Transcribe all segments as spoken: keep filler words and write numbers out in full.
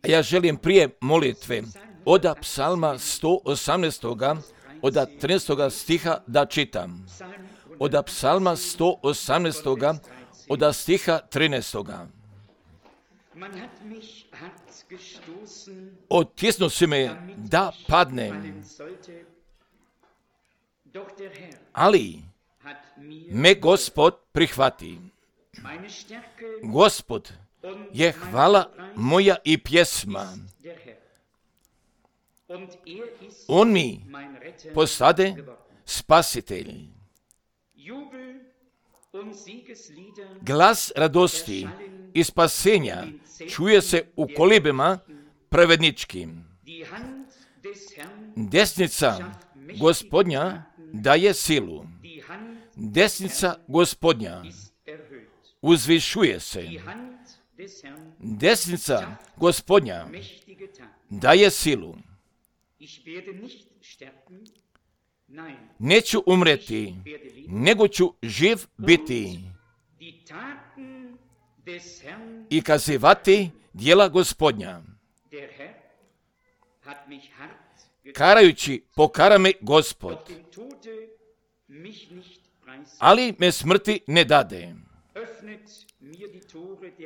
Ja želim prije molitve od psalma sto osamnaest. od trinaestog stiha da čitam. Od psalma sto osamnaest. od stiha trinaestog. Otisnu si me da padnem, ali me Gospod prihvati. Gospod je hvala moja i pjesma. On mi postade spasitelj. Glas radosti i spasenja čuje se u kolibima pravedničkim. Desnica Gospodnja daje silu. Desnica Gospodnja uzvišuje se. Desnica Gospodnja daje silu. Neću umreti, nego ću živ biti i kazivati djela Gospodnja. Karajući pokara me Gospod, ali me smrti ne dade.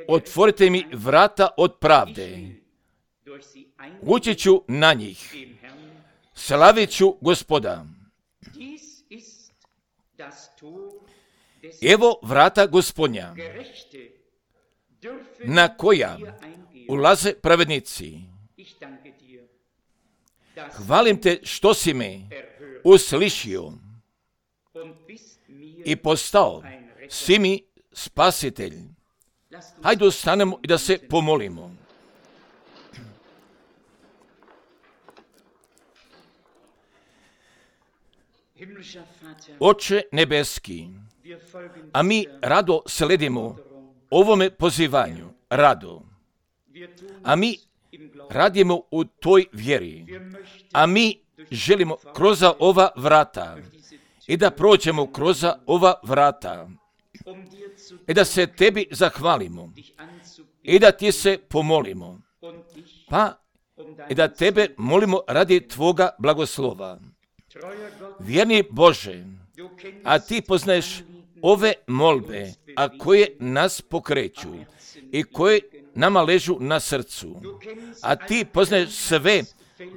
Otvorite mi vrata od pravde. Ući ću na njih. Slavit ću Gospoda. Evo vrata Gospodnja, na koja ulaze pravednici. Hvalim te što si me uslišio i postao si mi spasitelj. Hajde ustanemo i da se pomolimo. Oče nebeski, a mi rado sledimo ovome pozivanju, rado. A mi radimo u toj vjeri. A mi želimo kroz ova vrata i da prođemo kroz ova vrata i da se tebi zahvalimo i da ti se pomolimo. Pa i da tebe molimo radi tvoga blagoslova. Vjerni Bože, a ti poznaješ ove molbe, a koje nas pokreću i koje nama ležu na srcu. A ti poznaješ sve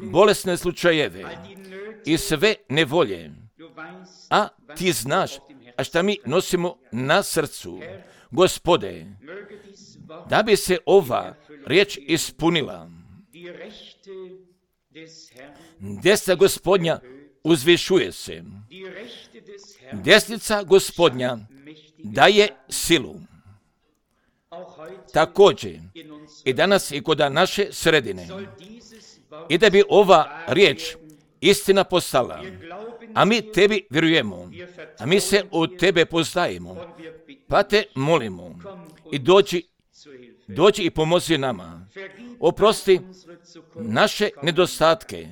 bolesne slučajeve i sve nevolje. A ti znaš, a šta mi nosimo na srcu. Gospode, da bi se ova riječ ispunila, desna Gospodnja uzvišuje se. Desnica Gospodnja daje silu. Također i danas i kod naše sredine. I da bi ova riječ istina postala. A mi tebi vjerujemo. A mi se od tebe poznajemo. Pa te molimo. I dođi, dođi i pomozi nama. Oprosti naše nedostatke.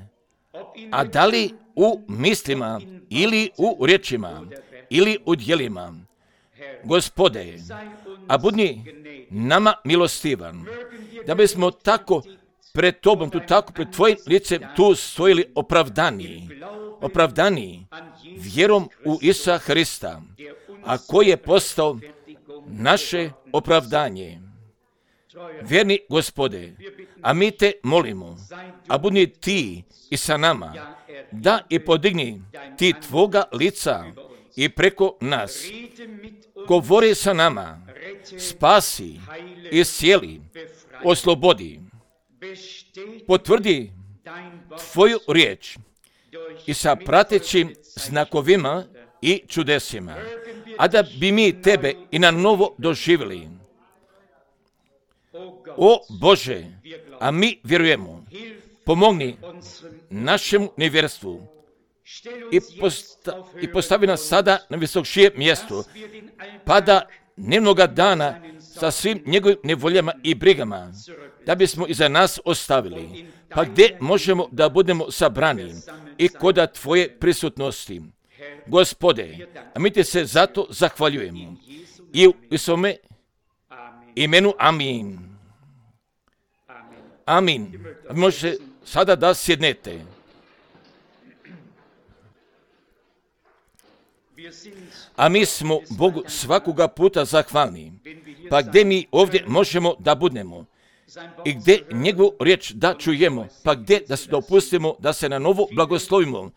A da li u mislima ili u riječima ili u djelima. Gospode, a budni nama milostivan, da bismo tako pred tobom, tu tako pred tvojim licem tu stojili opravdani, opravdani vjerom u Isusa Hrista, a koji je postao naše opravdanje. Vjerni Gospode, a mi te molimo, a budni ti i sa nama, da i podigni ti tvoga lica i preko nas. Govori sa nama, spasi, iscijeli, oslobodi, potvrdi tvoju riječ i sa pratećim znakovima i čudesima, a da bi mi tebe i na novo doživjeli. O Bože, a mi vjerujemo, pomogni našemu nevjerstvu i, posta, i postavi nas sada na visokšije mjesto, pa da dnevnoga dana sa svim njegovim nevoljama i brigama, da bismo iza nas ostavili, pa gdje možemo da budemo sabrani i koda tvoje prisutnosti. Gospode, a mi ti se zato zahvaljujemo i u svome imenu amin. Amin. Možete sada da sjednete. A mi smo Bogu svakoga puta zahvalni. Pa gdje mi ovdje možemo da budemo? I gdje njegovu riječ da čujemo? Pa gdje da se dopustimo da se na novo blagoslovimo?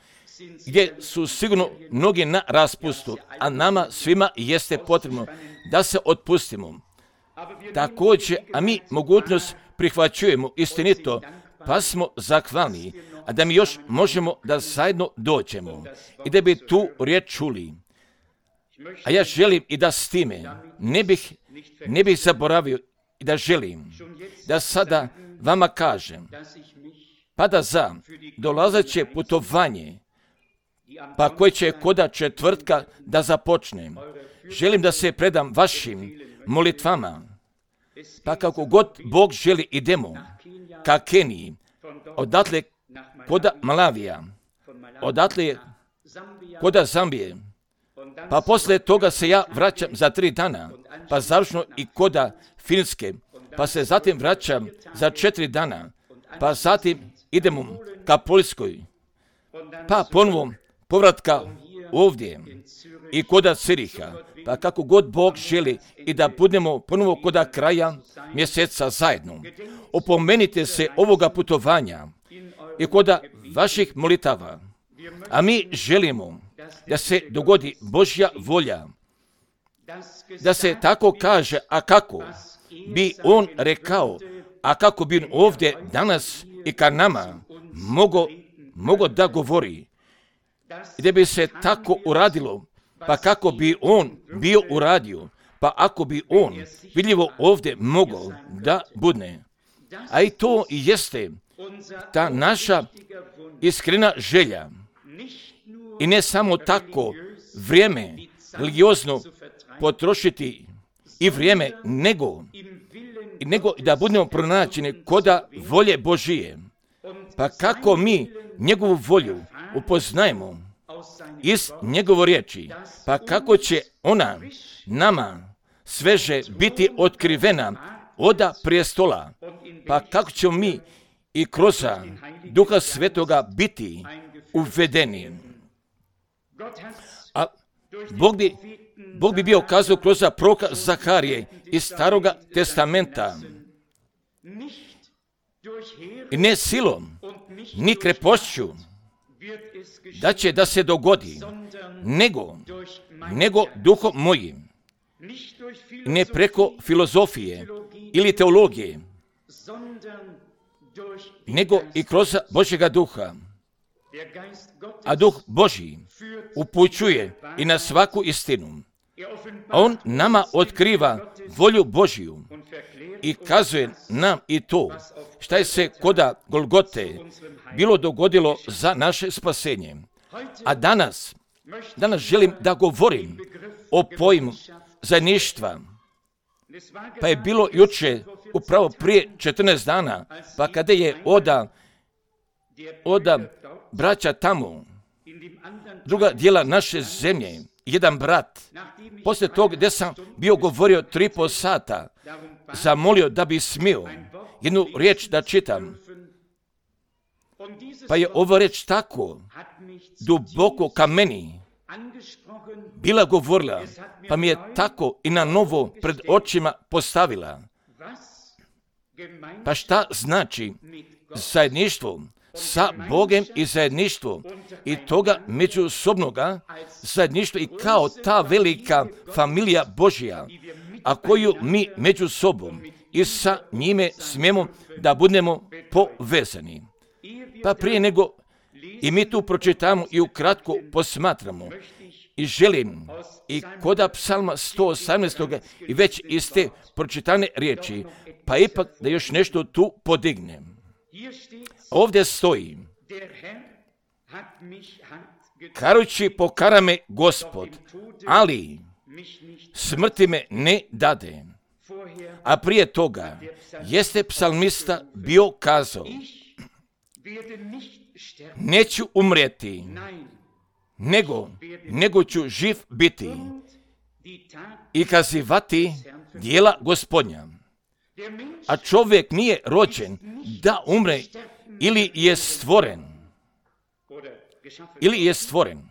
Gdje su sigurno mnogi na raspustu, a nama svima jeste potrebno da se otpustimo. Također, a mi mogućnost prihvaćujemo istinito, pa smo zahvalni, a da mi još možemo da zajedno dođemo i da bi tu riječ čuli. A ja želim i da s time ne bih, ne bih zaboravio i da želim da sada vama kažem, pa da za dolazeće putovanje, pa koje će koda četvrtka da započnem, želim da se predam vašim molitvama, pa kako god Bog želi idemo ka Keniji, odatle koda Malavija, odatle koda Zambije, pa poslije toga se ja vraćam za tri dana, pa završno i koda Finske, pa se zatim vraćam za četiri dana, pa zatim idemo ka Poljskoj, pa ponovo povratka ovdje i koda Ciriha, pa kako god Bog želi i da budemo ponovo koda kraja mjeseca zajedno. Opomenite se ovoga putovanja i koda vaših molitava, a mi želimo da se dogodi Božja volja, da se tako kaže, a kako bi on rekao, a kako bi on ovdje danas i ka nama mogo, mogo da govori, da bi se tako uradilo, pa kako bi on bio uradio, pa ako bi on vidljivo ovdje mogao da budne. A i to i jeste ta naša iskrena želja. I ne samo tako vrijeme religiozno potrošiti i vrijeme, nego, nego da budemo pronađeni koda volje Božije. Pa kako mi njegovu volju upoznajemo iz njegove riječi, pa kako će ona nama sveže biti otkrivena oda prijestola, pa kako ćemo mi i kroz Duha Svetoga biti uvedeni. A Bog bi, Bog bi bio kazao kroz proroka Zaharije iz Staroga testamenta, i ne silom, ni krepošću, da će da se dogodi, nego, nego duhom mojim, ne preko filozofije ili teologije, nego i kroz Božjega duha. A duh Božji upućuje i na svaku istinu. On nama otkriva volju Božju i kazuje nam i to šta je se koda Golgote bilo dogodilo za naše spasenje. A danas, danas želim da govorim o pojmu zajedništva. Pa je bilo juče, upravo prije četrnaest dana, pa kada je oda, oda braća tamo, druga dijela naše zemlje, jedan brat, poslije tog gdje sam bio govorio tri po sata, zamolio da bi smio jednu riječ da čitam. Pa je ova riječ tako duboko ka meni bila govorila, pa mi je tako i na novo pred očima postavila. Pa šta znači zajedništvo sa Bogem i zajedništvo i toga međusobnoga zajedništva i kao ta velika familija Božja, a koju mi među sobom i sa njime smijemo da budemo povezani. Pa prije nego i mi tu pročitamo i ukratko posmatramo i želim i koda psalma sto osamnaest. i već iz te pročitane riječi, pa ipak da još nešto tu podignem. Ovdje stoji, karući pokara me Gospod, ali smrti me ne dade. A prije toga jeste psalmista bio kazao, neću umrijeti, nego, nego ću živ biti i kazivati djela Gospodnja. A čovjek nije rođen da umre ili je stvoren. Ili je stvoren.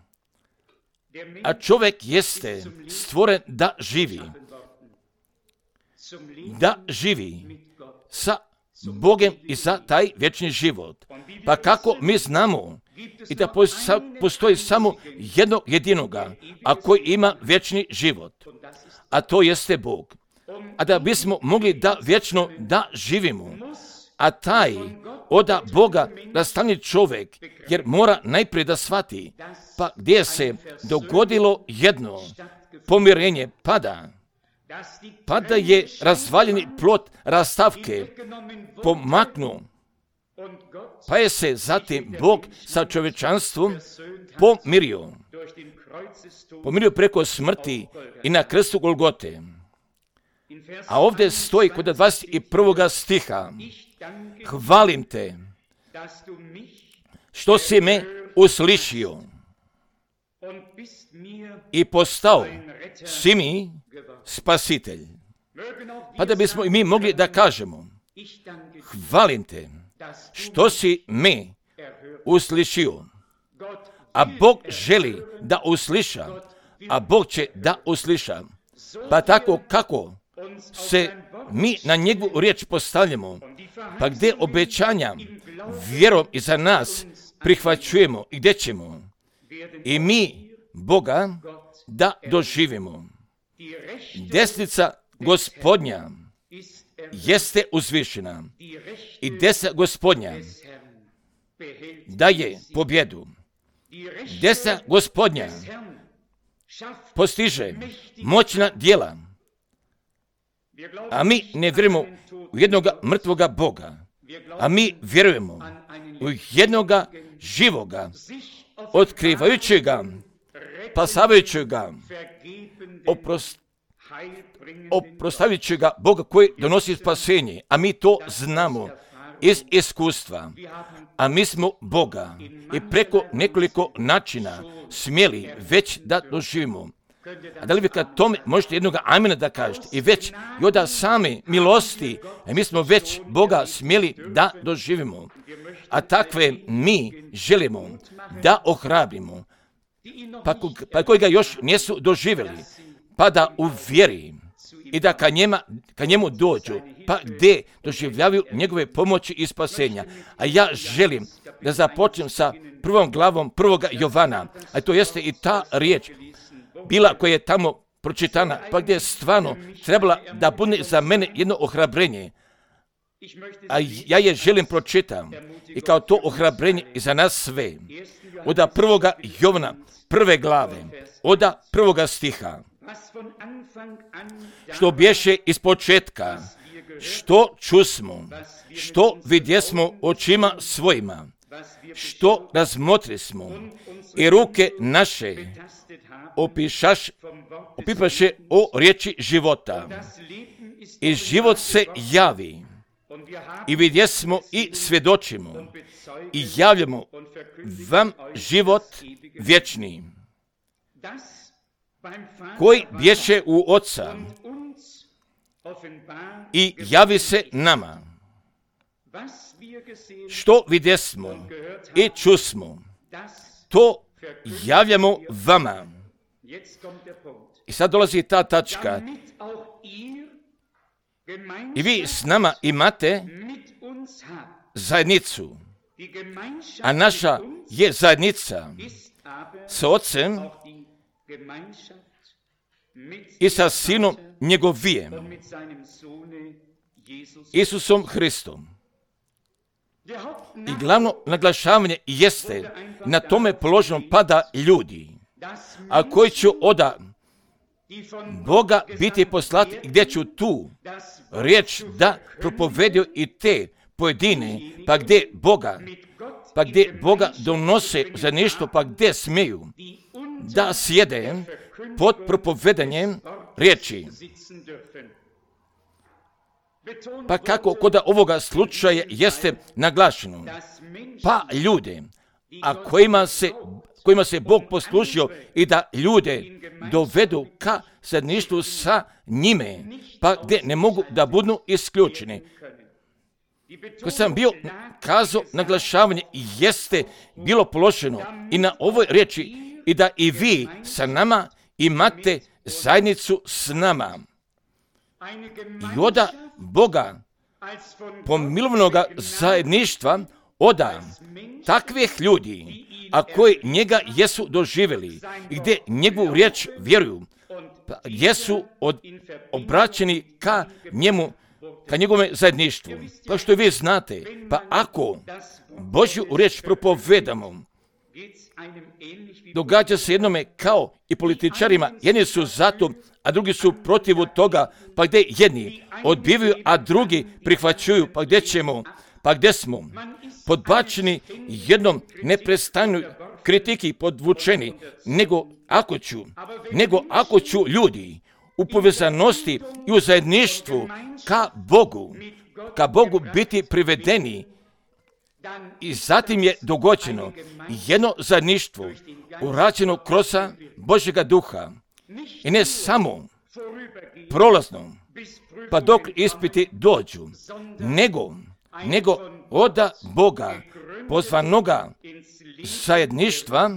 A čovjek jeste stvoren da živi. Da živi sa Bogem i za taj vječni život. Pa kako mi znamo i da postoji samo jednog jedinoga, a koji ima vječni život, a to jeste Bog. A da bismo mogli da vječno da živimo, a taj oda Boga rastani čovjek, jer mora najprije da shvati, pa gdje se dogodilo jedno pomirenje pada, pa da je razvaljeni plot rastavke pomaknuo, pa je se zatim Bog sa čovječanstvom pomirio. Pomirio preko smrti i na krstu Golgote. A ovdje stoji kod dvadeset prvog stiha: hvalim te što si me uslišio i postao si mi spasitelj. Pa da bismo i mi mogli da kažemo: hvalim te što si me uslišio. A Bog želi da usliša, a Bog će da usliša. Pa tako kako se mi na njegovu riječ postavljamo, pa gdje obećanja vjerom iza nas prihvaćujemo i gdje ćemo i mi Boga da doživimo. Desnica Gospodnja jeste uzvišena i desna Gospodnja daje pobjedu. Desna Gospodnja postiže moćna djela, a mi ne vjerujemo u jednoga mrtvoga Boga, a mi vjerujemo u jednoga živoga, otkrivajućega, spasavajućega, oprost, oprostavljajućega Boga koji donosi spasenje, a mi to znamo iz iskustva. A mi smo Boga i preko nekoliko načina smjeli već da doživimo. A da li vi kad tome možete jednoga amena da kažete i već i od same milosti, a mi smo već Boga smjeli da doživimo. A takve mi želimo da ohrabrimo, pa, pa koji ga još nisu doživjeli, pa da u vjeri i da ka, njema, ka njemu dođu, pa gdje doživljavaju njegove pomoći i spasenja. A ja želim da započnem sa prvom glavom prvoga Jovana, a to jeste i ta riječ bila koja je tamo pročitana, pa gdje je stvarno trebala da bude za mene jedno ohrabrenje. A ja je želim pročitam i kao to ohrabrenje i za nas sve. Oda prvoga Jovana, prve glave, oda prvoga stiha. Što bješe iz početka, što čusmo, što vidjesmo očima svojima, što razmotrismo i ruke naše opišaš, opipaše o riječi života. I život se javi i vidjesmo i svjedočimo i javljamo vam život vječni, koji bješe u Oca i javi se nama. Što vidjesmo i čusmo, to javljamo vama. I sad dolazi ta tačka. I vi s nama imate zajednicu, a naša je zajednica s Ocem i sa Sinom njegovijem, Isusom Hristom. I glavno naglašavanje jeste na tome položenom pada ljudi, a koji će oda Boga biti poslati, gdje ću tu riječ da propovedio i te pojedine, pa gdje Boga, pa gdje Boga donose za nešto, pa gdje smiju da sjede pod propovedanjem riječi. Pa kako kod ovoga slučaja jeste naglašeno, pa ljude, a kojima se, kojima se Bog poslužio i da ljude dovedu ka zajedništvu sa njime, pa gdje ne mogu da budu isključeni. Ko sam bio kazao, naglašavanje jeste bilo položeno i na ovoj riječi i da i vi sa nama imate zajednicu s nama. I oda Boga pomilovnoga zajedništva oda takvih ljudi, a koji njega jesu doživjeli i gdje njegovu riječ vjeruju, pa jesu od, obraćeni ka njemu, ka njegovom zajedništvu. Pa što vi znate, pa ako Božju riječ propovedamo, događa se jednome kao i političarima, jedni su zato, a drugi su protiv toga, pa gdje jedni odbivaju, a drugi prihvaćuju, pa gdje ćemo, pa gdje smo podbačeni jednom neprestanju kritiki podvučeni, nego ako ću, nego ako ću ljudi u povezanosti i u zajedništvu ka Bogu, ka Bogu biti privedeni, i zatim je dogođeno jedno zajedništvo urađeno kroz Božjega duha. I ne samo prolazno, pa dok ispiti dođu, nego, nego oda Boga pozvanoga zajedništva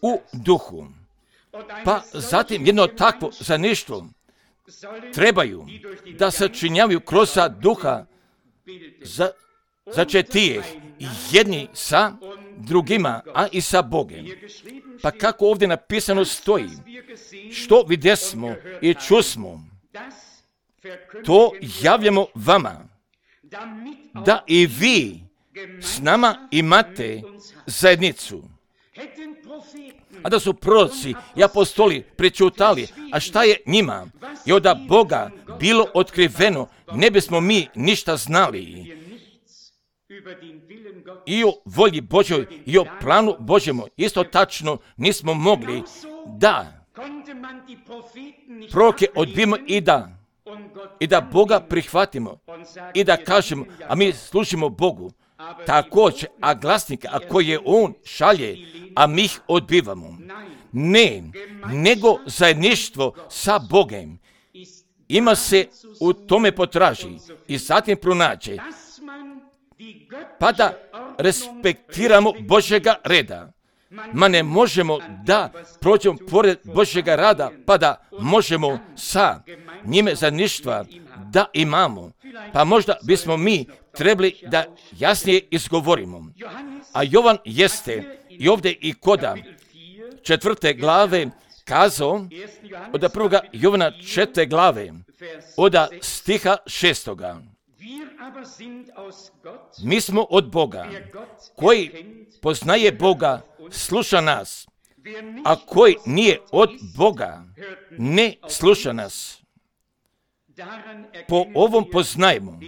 u duhu. Pa zatim jedno takvo zajedništvo trebaju da sačinjavaju kroz duha za začetijeh jedni sa drugima, a i sa Bogem. Pa kako ovdje napisano stoji, što vidjesmo i čusmo, to javljamo vama, da i vi s nama imate zajednicu. A da su proroci i apostoli prečutali, a šta je njima? I od Boga bilo otkriveno, ne bismo mi ništa znali. I o volji Božoj i o planu Božjemu isto tačno nismo mogli da proroke odbijemo i da i da Boga prihvatimo i da kažemo, a mi služimo Bogu također, a glasnika, a koje On šalje, a mi ih odbivamo. Ne, nego zajedništvo sa Bogem ima se u tome potraži i zatim pronađe, pa da respektiramo Božjega reda. Ma ne možemo da prođemo pored Božjega rada, pa da možemo sa njime zajedništva da imamo. Pa možda bismo mi trebali da jasnije izgovorimo. A Jovan jeste i ovdje i koda četvrte glave kazao, od prvoga Jovana četvrte glave, od stiha šestoga. Mi smo od Boga, koji poznaje Boga, sluša nas, a koji nije od Boga, ne sluša nas. Po ovom poznajemo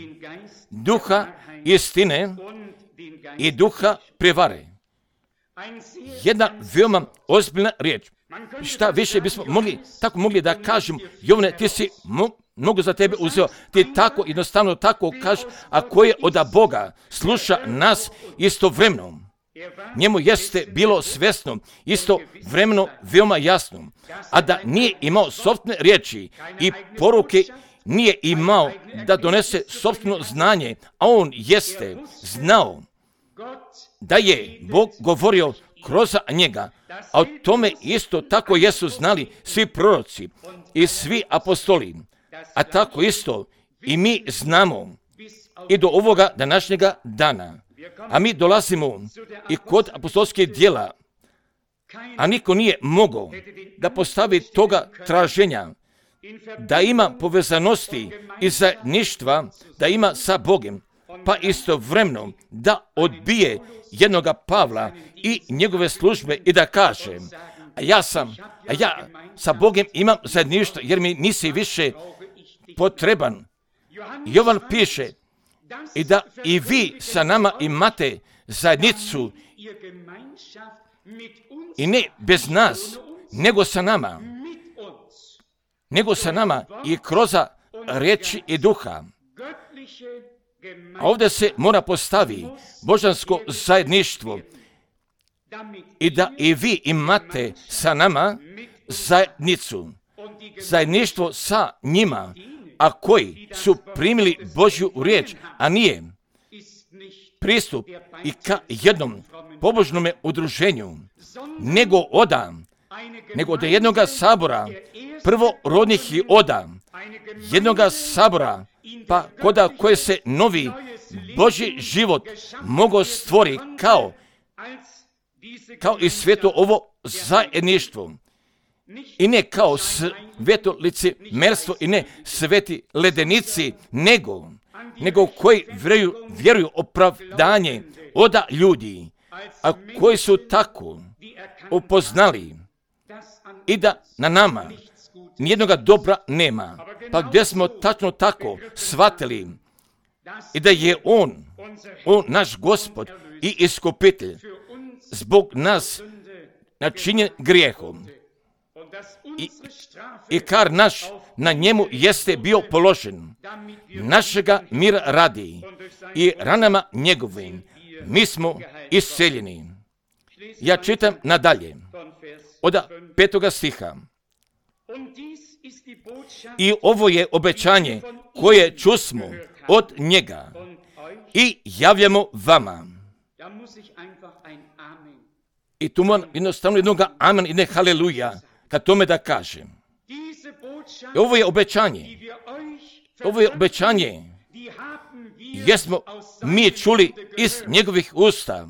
duha istine i duha prevare. Jedna veoma ozbiljna riječ. Šta više bismo mogli, tako mogli da kažem, Jovane, ti si mo, mnogo za tebe uzeo, ti tako jednostavno tako kažeš, a ko je od Boga sluša nas istovremeno. Njemu jeste bilo svjesno, istovremeno veoma jasno, a da nije imao sopstvene riječi i poruke, nije imao da donese sopstveno znanje, a on jeste znao da je Bog govorio kroz njega, a o tome isto tako jesu znali svi proroci i svi apostoli, a tako isto i mi znamo i do ovoga današnjega dana. A mi dolazimo i kod apostolskih djela, a niko nije mogao da postavi toga traženja, da ima povezanosti i zajedništva, da ima sa Bogom, pa istovremeno da odbije jednoga Pavla i njegove službe i da kaže, a ja sam, a ja sa Bogom imam zajedništvo jer mi nisi više potreban. Jovan piše i da i vi sa nama imate zajednicu i ne bez nas, nego sa nama, nego sa nama i kroz riječi i duha. A ovdje se mora postavi božansko zajedništvo i da i vi imate sa nama zajednicu, zajedništvo sa njima, a koji su primili Božju riječ, a nije pristup i ka jednom pobožnome udruženju, nego oda, nego od jednoga sabora, prvorodnih i oda, jednoga sabora, pa koda koje se novi Božji život mogo stvori kao, kao i sveto ovo zajedništvo. I ne kao sveto licemjerstvo i ne sveti ledenici, nego, nego koji vjeruju, vjeruju opravdanje oda ljudi, a koji su tako upoznali i da na nama nijednoga dobra nema, pa gdje smo tačno tako shvatili i da je On, On naš Gospod i iskupitelj, zbog nas načinjen grijehom. I, i kar naš na njemu jeste bio položen, našega mira radi i ranama njegovim mi smo isceljeni. Ja čitam nadalje od petoga stiha. I ovo je obećanje koje čusmo od njega i javljamo vama. I tu moram jednostavno jednoga amen i ne haleluja kad tome da kažem. I ovo je obećanje. Ovo je obećanje. Jesmo mi čuli iz njegovih usta.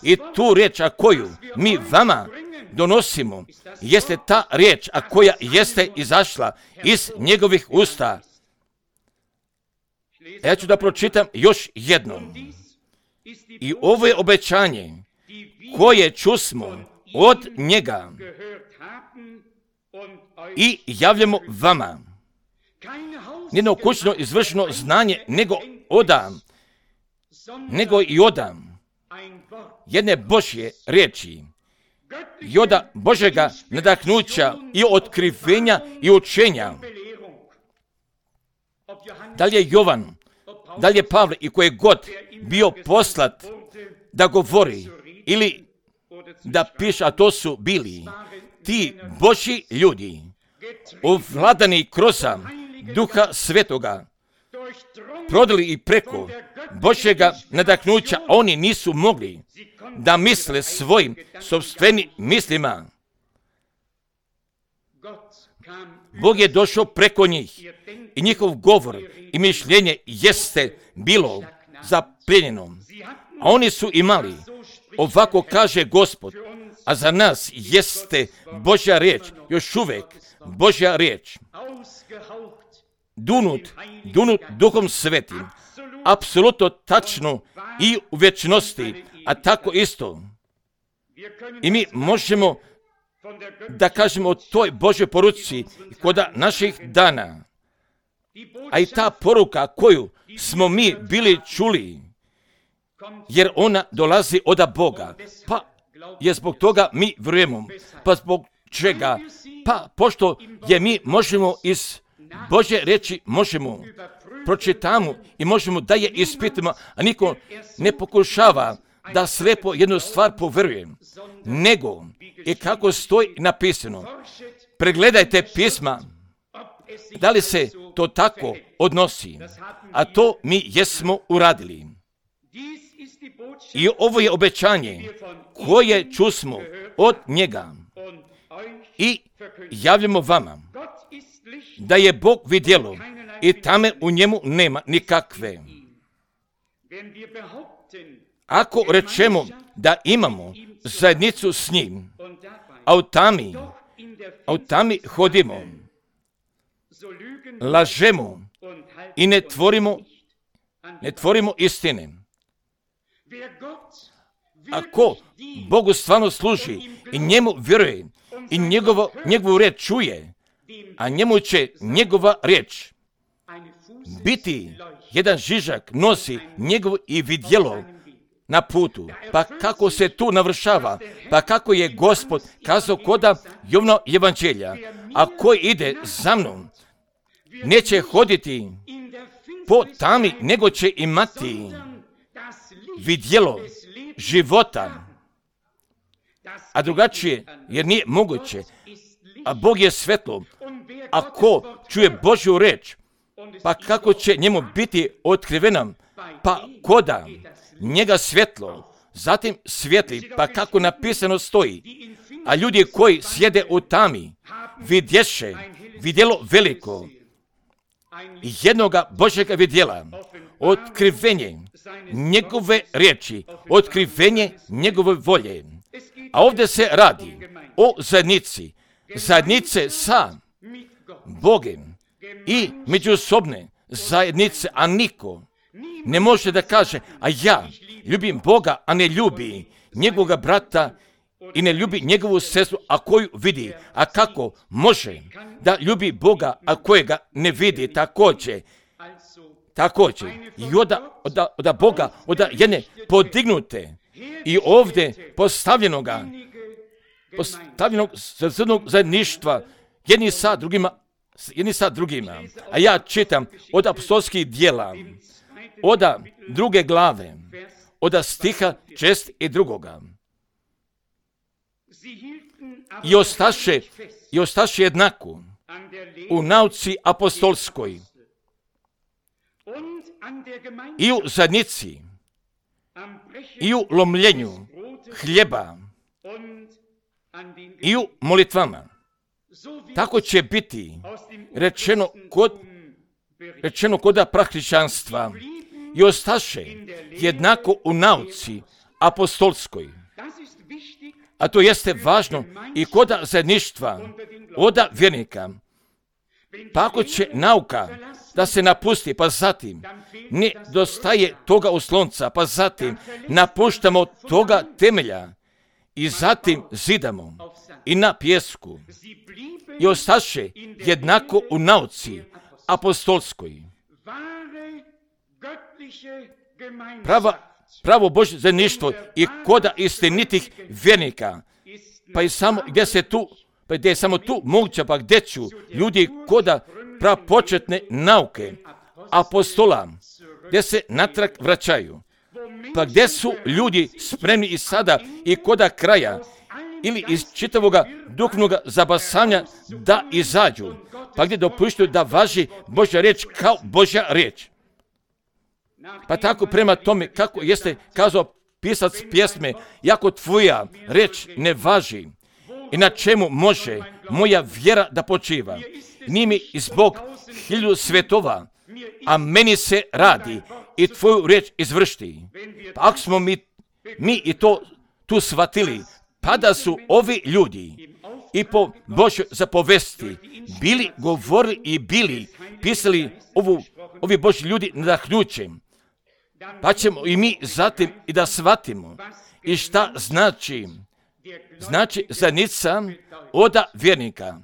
I tu riječ, a koju mi vama donosimo, jeste ta riječ, a koja jeste izašla iz njegovih usta. Ja ću da pročitam još jednom. I ovo je obećanje koje čusmo od njega i javljamo vama. Nijedno kućno izvršeno znanje, nego odam, nego i odam jedne Božje riječi, i oda Božjega nadahnuća i otkrivenja i učenja. Da li je Jovan, da li je Pavle i koji god bio poslat da govori ili da piše, a to su bili ti Božji ljudi, ovladani kroz Duha Svetoga, prodali i preko Božjega nadahnuća, oni nisu mogli da misle svojim sopstvenim mislima. Bog je došao preko njih i njihov govor i mišljenje jeste bilo zapljenjeno. A oni su imali, ovako kaže Gospod, a za nas jeste Božja riječ, još uvijek Božja riječ. Dunut, dunut Duhom Svetim, apsolutno tačno i u vječnosti, a tako isto. I mi možemo da kažemo o toj Božoj poruci kod naših dana. A i ta poruka koju smo mi bili čuli, jer ona dolazi od Boga, pa je zbog toga mi vjerujemo. Pa zbog čega? Pa pošto je mi možemo iz Božje riječi možemo pročitamo i možemo da je ispitamo, a niko ne pokušava da slepo jednu stvar povjeruje, nego i kako stoji napisano. Pregledajte pisma, da li se to tako odnosi, a to mi jesmo uradili. I ovo je obećanje koje čusmo od njega i javljamo vama, da je Bog vidjelo i tame u njemu nema nikakve. Ako rečemo da imamo zajednicu s njim, a u tami, a u tami hodimo, lažemo i ne tvorimo, ne tvorimo istine. Ako Bogu stvarno služi i njemu vjeruje i njegovo, njegovu riječ čuje, a njemu će njegova riječ biti jedan žižak, nosi njegovo i vidjelo na putu. Pa kako se tu navršava? Pa kako je Gospod kazao koda Jovno evanđelja, a koji ide za mnom, neće hoditi po tami, nego će imati vidjelo života. A drugačije, jer nije moguće. A Bog je svetlo. A ko čuje Božju reč, pa kako će njemu biti otkrivena? Pa koda njega svjetlo, zatim svjetli, pa kako napisano stoji. A ljudi koji sjede u tami, vidješe vidjelo veliko, jednoga Božjega vidjela, otkrivenje njegove riječi, otkrivenje njegove volje. A ovdje se radi o zajednici, zajednice sa Bogom i međusobne zajednice, a niko ne može da kaže, a ja ljubim Boga, a ne ljubi njegovoga brata i ne ljubi njegovu sestru, a koju vidi. A kako može da ljubi Boga, a kojega ne vidi? Također, također, i oda, oda, oda Boga, oda jedne podignute i ovdje postavljenoga, postavljenog srcednog zajedništva, jedni sa drugima, jedni sa drugima. A ja čitam od apostolskih djela, od druge glave, od stiha šest i drugoga. I ostaše, i ostaše jednako u nauci apostolskoj i u zajednici i u lomljenju hljeba i u molitvama. Tako će biti rečeno kod, rečeno kod prahrišćanstva i ostaše jednako u nauci apostolskoj. A to jeste važno i kod zajedništva od vjernika. Pa ako će nauka da se napusti, pa zatim ne dostaje toga oslonca, pa zatim napuštamo toga temelja i zatim zidamo i na pjesku i ostaše jednako u nauci apostolskoj. Prava Pravo Božje zajedništvo i koda istinitih vjernika, pa i samo gdje se tu, pa gdje je samo tu moguće, pa gdje ću ljudi koda prapočetne nauke apostola, gdje se natrag vraćaju, pa gdje su ljudi spremni i sada i koda kraja, ili iz čitavoga duhovnog zabasanja da izađu, pa gdje dopuštaju da važi Božja riječ kao Božja riječ. Pa tako prema tome, kako jeste kazao pisac pjesme, jako tvoja reč ne važi i na čemu može moja vjera da počiva. Nije mi zbog hiljadu svetova, a meni se radi i tvoju reč izvršti. Pa ako smo mi, mi i to tu shvatili, pa da su ovi ljudi i po Božjoj zapovesti bili govorili i bili pisali ovu, ovi Božji ljudi nadahnućem, pa ćemo i mi zatim i da shvatimo i šta znači, znači zajednica od vjernika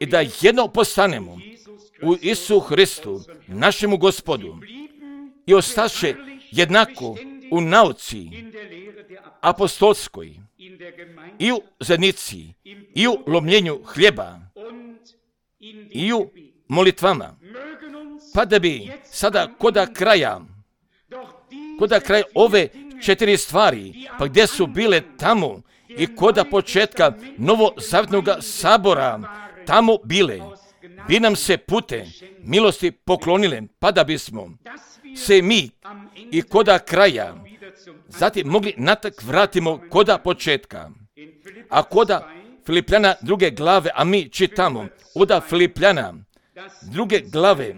i da jedno postanemo u Isu Hristu, našemu Gospodu, i ostaše jednako u nauci apostolskoj i u zajednici i u lomljenju hljeba i u molitvama, pa da bi sada koda kraja koda kraj ove četiri stvari, pa gdje su bile tamo i koda početka novozavjetnog sabora tamo bile, bi nam se pute milosti poklonile, pa da bismo se mi i koda kraja zatim mogli natak vratimo koda početka. A koda Filipljana druge glave, a mi čitamo od Filipljana druge glave,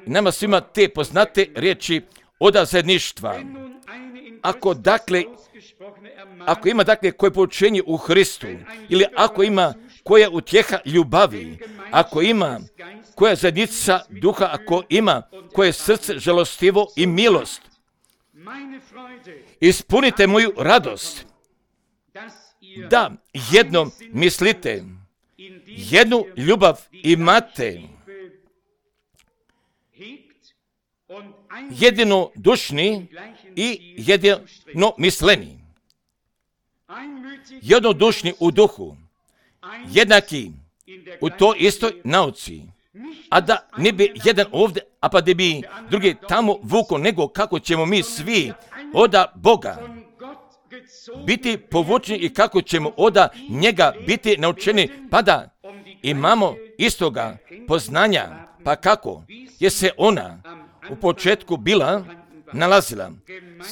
nama svima te poznate riječi od zajedništva. Ako dakle, ako ima dakle koje poučenje u Hristu, ili ako ima koja utjeha ljubavi, ako ima koja zajednica duha, ako ima koje srce žalostivo i milost, ispunite moju radost, da jednom mislite, jednu ljubav imate, jedino dušni i jedino misleni, jednodušni u duhu, jednaki u toj istoj nauci, a da ne bi jedan ovdje, a pa da bi drugi tamo vuko, nego kako ćemo mi svi oda Boga biti povučeni i kako ćemo oda njega biti naučeni, pa da imamo istoga poznanja, pa kako je se ona u početku bila nalazila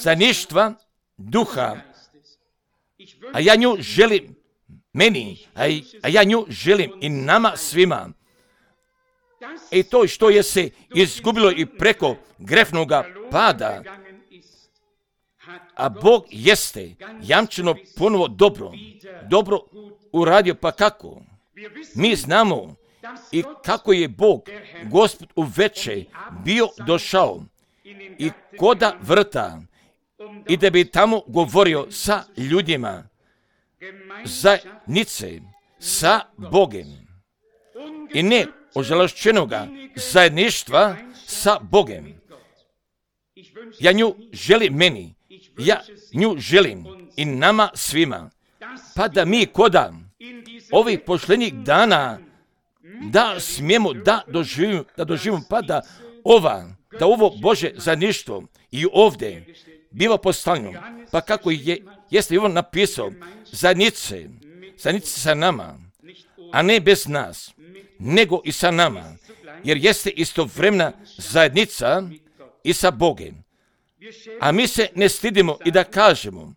zajedništva duha, a ja nju želim meni, a ja nju želim i nama svima. I to što je se izgubilo i preko grefnoga pada, a Bog jeste jamčeno ponovo dobro, dobro uradio, pa kako? Mi znamo i kako je Bog, Gospod u veče, bio došao i koda vrta i da bi tamo govorio sa ljudima, zajednice sa Bogem i ne ožalošćenoga zajedništva sa Bogem. Ja nju želim meni, ja nju želim i nama svima, pa da mi koda ovih pošljenih dana da smijemo da doživimo, da doživimo, pa da ova, da ovo Bože zajedništvo i ovdje biva postavljeno, pa kako je, jeste Ivan napisao, zajednice, zajednice sa nama, a ne bez nas, nego i sa nama, jer jeste istovremena zajednica i sa Bogem. A mi se ne stidimo i da kažemo,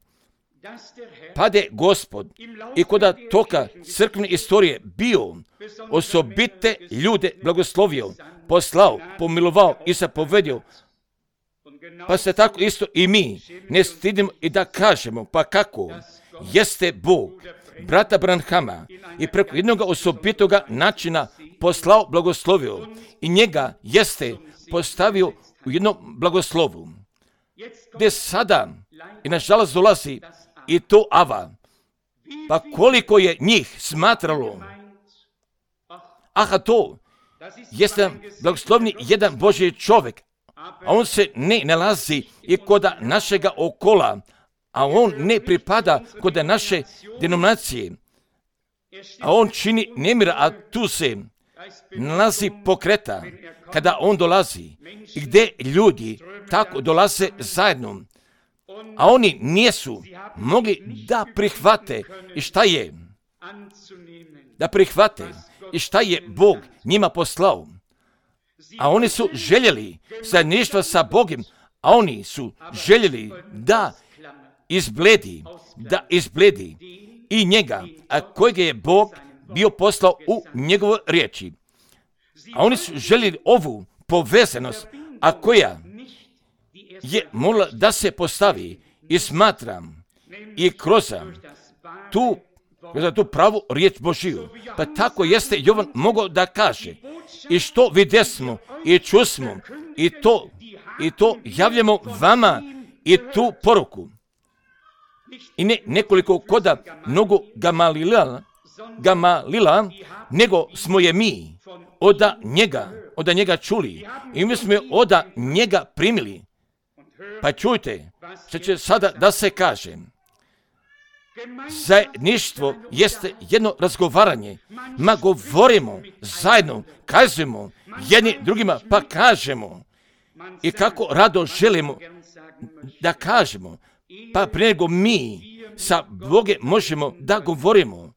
pa da je Gospod i koda toka crkvene istorije bio osobite ljude blagoslovio, poslao, pomilovao i zapovedio, pa se tako isto i mi ne stidimo i da kažemo, pa kako jeste Bog brata Branhama i preko jednog osobitoga načina poslao, blagoslovio i njega jeste postavio u jednom blagoslovu, gdje sada i nažalost dolazi i to ava, pa koliko je njih smatralo, aha, to jeste blagoslovni jedan Božji čovjek, a on se ne nalazi i koda našega okola, a on ne pripada koda naše denominacije, a on čini nemira, a tu se nalazi pokreta kada on dolazi i gdje ljudi tako dolaze zajedno, a oni nisu mogli da prihvate i šta je, da prihvate i šta je Bog njima poslao. A oni su željeli zajedništva sa Bogom, a oni su željeli da izbledi, da izbledi i njega, a kojega je Bog bio poslao u njegovoj riječi. A oni su željeli ovu povezanost, a koja je morala da se postavi i smatram i kroz tu, kroz tu pravu riječ Božiju. Pa tako jeste Jovan mogao da kaže i što vidjesmo i čusmo i to, i to javljamo vama i tu poruku. I ne nekoliko koda mnogo Gamalila, Gamalila, nego smo je mi oda njega, oda njega čuli i mi smo je oda njega primili. Pa čujte, što će sada da se kaže. Zajedništvo jeste jedno razgovaranje, ma govorimo zajedno, kazujemo jedni drugima, pa kažemo i kako rado želimo da kažemo, pa prije nego mi sa Boge možemo da govorimo,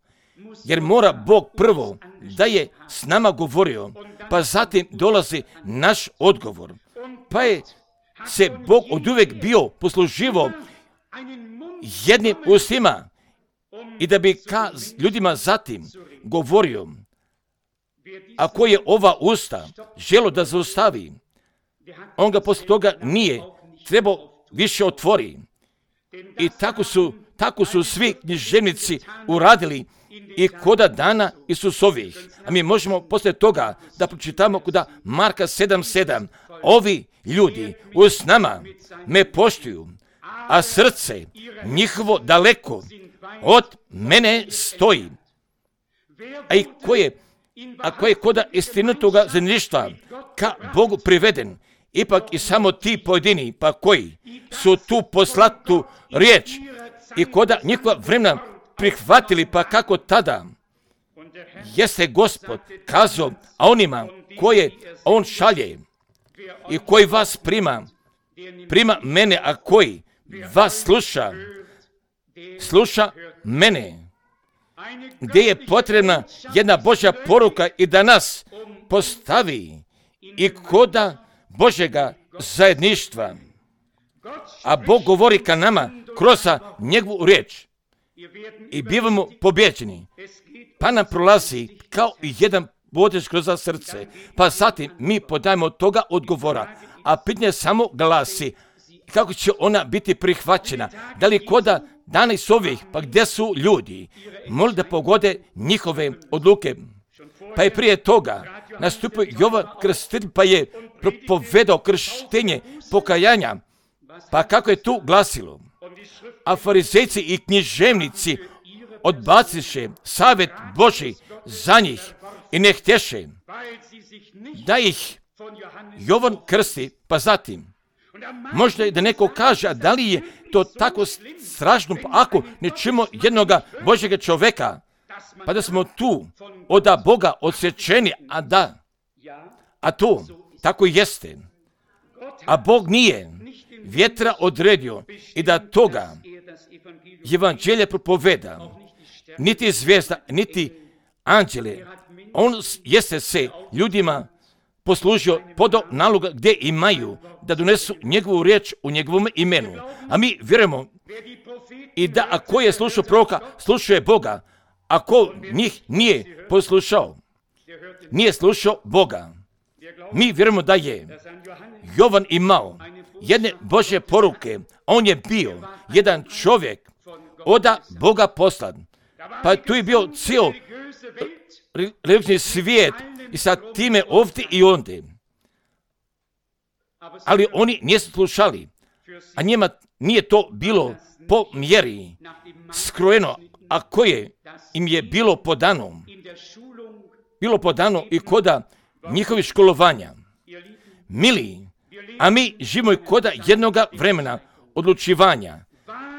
jer mora Bog prvo da je s nama govorio, pa zatim dolazi naš odgovor, pa je se Bog od uvijek bio posluživo jednim ustima i da bi ka ljudima zatim govorio, ako je ova usta želo da zaustavi, on ga posle toga nije trebao više otvori. I tako su, tako su svi književnici uradili i koda dana Isusovih. A mi možemo poslije toga da pročitamo koda Marka sedam sedam. Ovi ljudi uz nama me poštuju, a srce njihovo daleko od mene stoji. A i ko je, a ko je koda istinitoga zajedništva ka Bogu priveden, ipak i samo ti pojedini, pa koji su tu poslatu riječ i koda njihova vremena prihvatili, pa kako tada jeste Gospod kazao, a onima koje on šalje i koji vas prima, prima mene, a koji vas sluša, sluša mene. Gdje je potrebna jedna Božja poruka i da nas postavi i koda Božjega zajedništva. A Bog govori ka nama kroz njegovu riječ i bivamo pobjeđeni. Pa nam prolazi kao jedan bodež kroz srce. Pa zatim mi podajemo toga odgovora. A pitanje samo glasi kako će ona biti prihvaćena. Da li koda danas ovih, pa gdje su ljudi, moli da pogode njihove odluke. Pa je prije toga nastupio Jovan Krstitelj, pa je propovedao krštenje pokajanja. Pa kako je tu glasilo? A farizejci i književnici odbaciše savjet Božji za njih i ne htješe da ih Jovan krsti. Pa zatim, možda je da neko kaže, a da li je to tako strašno, pa ako ne čujemo jednoga Božjega čovjeka, pa da smo tu od Boga odsječeni, a da, a to tako jeste. A Bog nije vjetra odredio i da toga evanđelje propoveda, niti zvijezda, niti anđele. On jeste se ljudima poslužio podo naloga gdje imaju da donesu njegovu riječ u njegovom imenu. A mi vjerujemo i da ako je slušao proroka, slušao Boga. Ako njih nije poslušao, nije slušao Boga. Mi vjerujemo da je Jovan imao jedne Božje poruke. On je bio jedan čovjek od Boga poslan. Pa tu je bio cijel religijski svijet i sa time ovdje i ondje. Ali oni nisu slušali, a njima nije to bilo po mjeri skrojeno, a koje im je bilo podano. Bilo podano i koda njihovih školovanja. Mili, a mi živimo i koda jednoga vremena odlučivanja.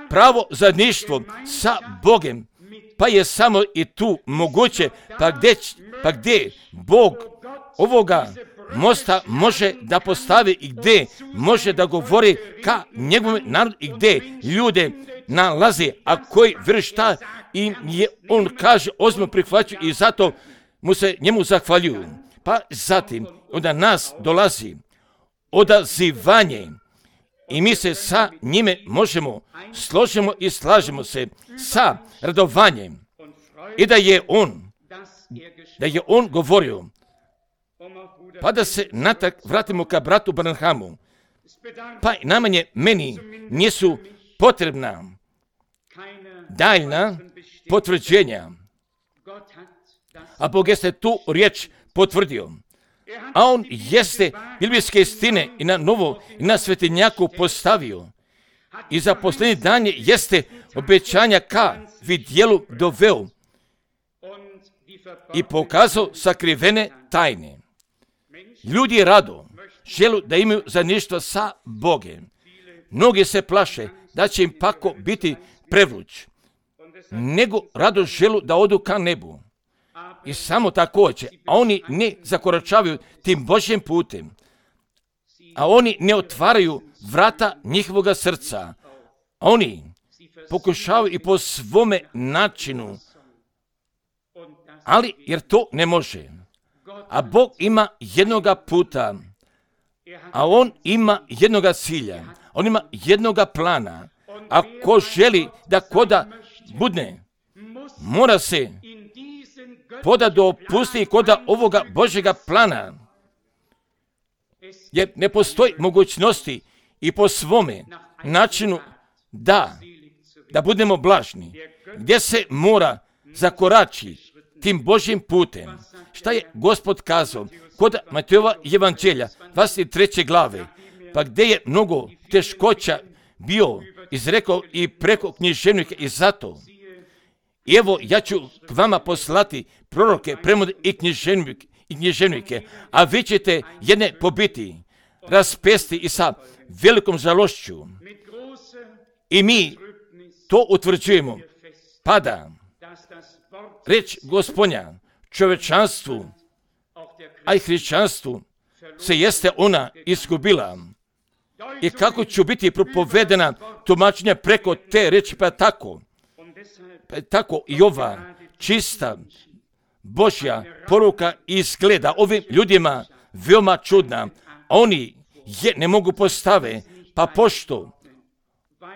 Pravo zajedništvo sa Bogem, pa je samo i tu moguće, pa gdje, pa gdje Bog ovoga mosta može da postavi i gdje može da govori ka njegovom narodu i gdje ljude nalazi, a koji vjeruju šta im je, on kaže, ozbiljno prihvaćaju i zato mu se njemu zahvaljuju. Pa zatim onda nas dolazi odazivanje i mi se sa njime možemo složimo i slažemo se sa radovanjem i da je on da je on govorio. Pa da se natak vratimo ka bratu Branhamu. Pa najmanje meni nisu potrebna daljna potvrđenja. A Bog jeste tu riječ potvrdio. A on jeste biblijske istine i na novo i na svetinjaku postavio. I za posljednji dan jeste obećanja ka vidjelu doveo i pokazao sakrivene tajne. Ljudi rado želu da imaju zajedništvo sa Bogom. Mnogi se plaše da će im pako biti prevluć, nego rado želu da odu ka nebu. I samo također, a oni ne zakoračavaju tim Božjim putem, a oni ne otvaraju vrata njihovoga srca, a oni pokušavaju i po svome načinu, ali jer to ne može. A Bog ima jednoga puta, a on ima jednoga cilja, on ima jednoga plana. Ako želi da koda budne, mora se poda dopusti koda ovoga Božjega plana, jer ne postoji mogućnosti i po svome načinu da, da budemo blažni, gdje se mora zakorači tim Božjim putem. Šta je Gospod kazao kod Matejova evanđelja, dvadeset treće glave, pa gdje je mnogo teškoća bio izrekao i preko književnika i zato. I evo, ja ću k vama poslati proroke, premode i književnike, i književnike, a vi ćete jedne pobiti, raspesti i sa velikom žalošću. I mi to utvrđujemo. Pada reč Gospodnja čovečanstvu, a i hrišćanstvu se jeste ona izgubila. I kako će biti propovedena tumačenja preko te reči, pa tako, pa tako i ova čista Božja poruka izgleda ovim ljudima veoma čudna. Oni je ne mogu postave, pa pošto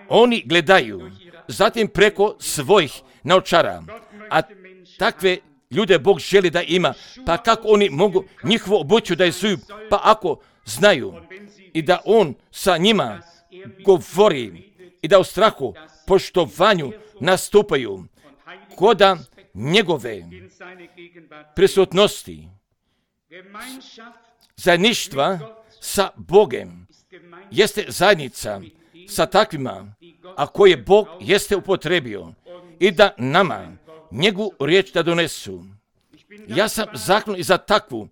oni gledaju zatim preko svojih naočara, a takve ljude Bog želi da ima, pa kako oni mogu njihovu obuću da izuju, pa ako znaju i da on sa njima govori i da u strahu, poštovanju nastupaju koda njegove prisutnosti, zajedništva sa Bogem jeste zajednica sa takvima, a koje Bog jeste upotrebio i da nama njegovu riječ da donesu. Ja sam zaklon i za takvu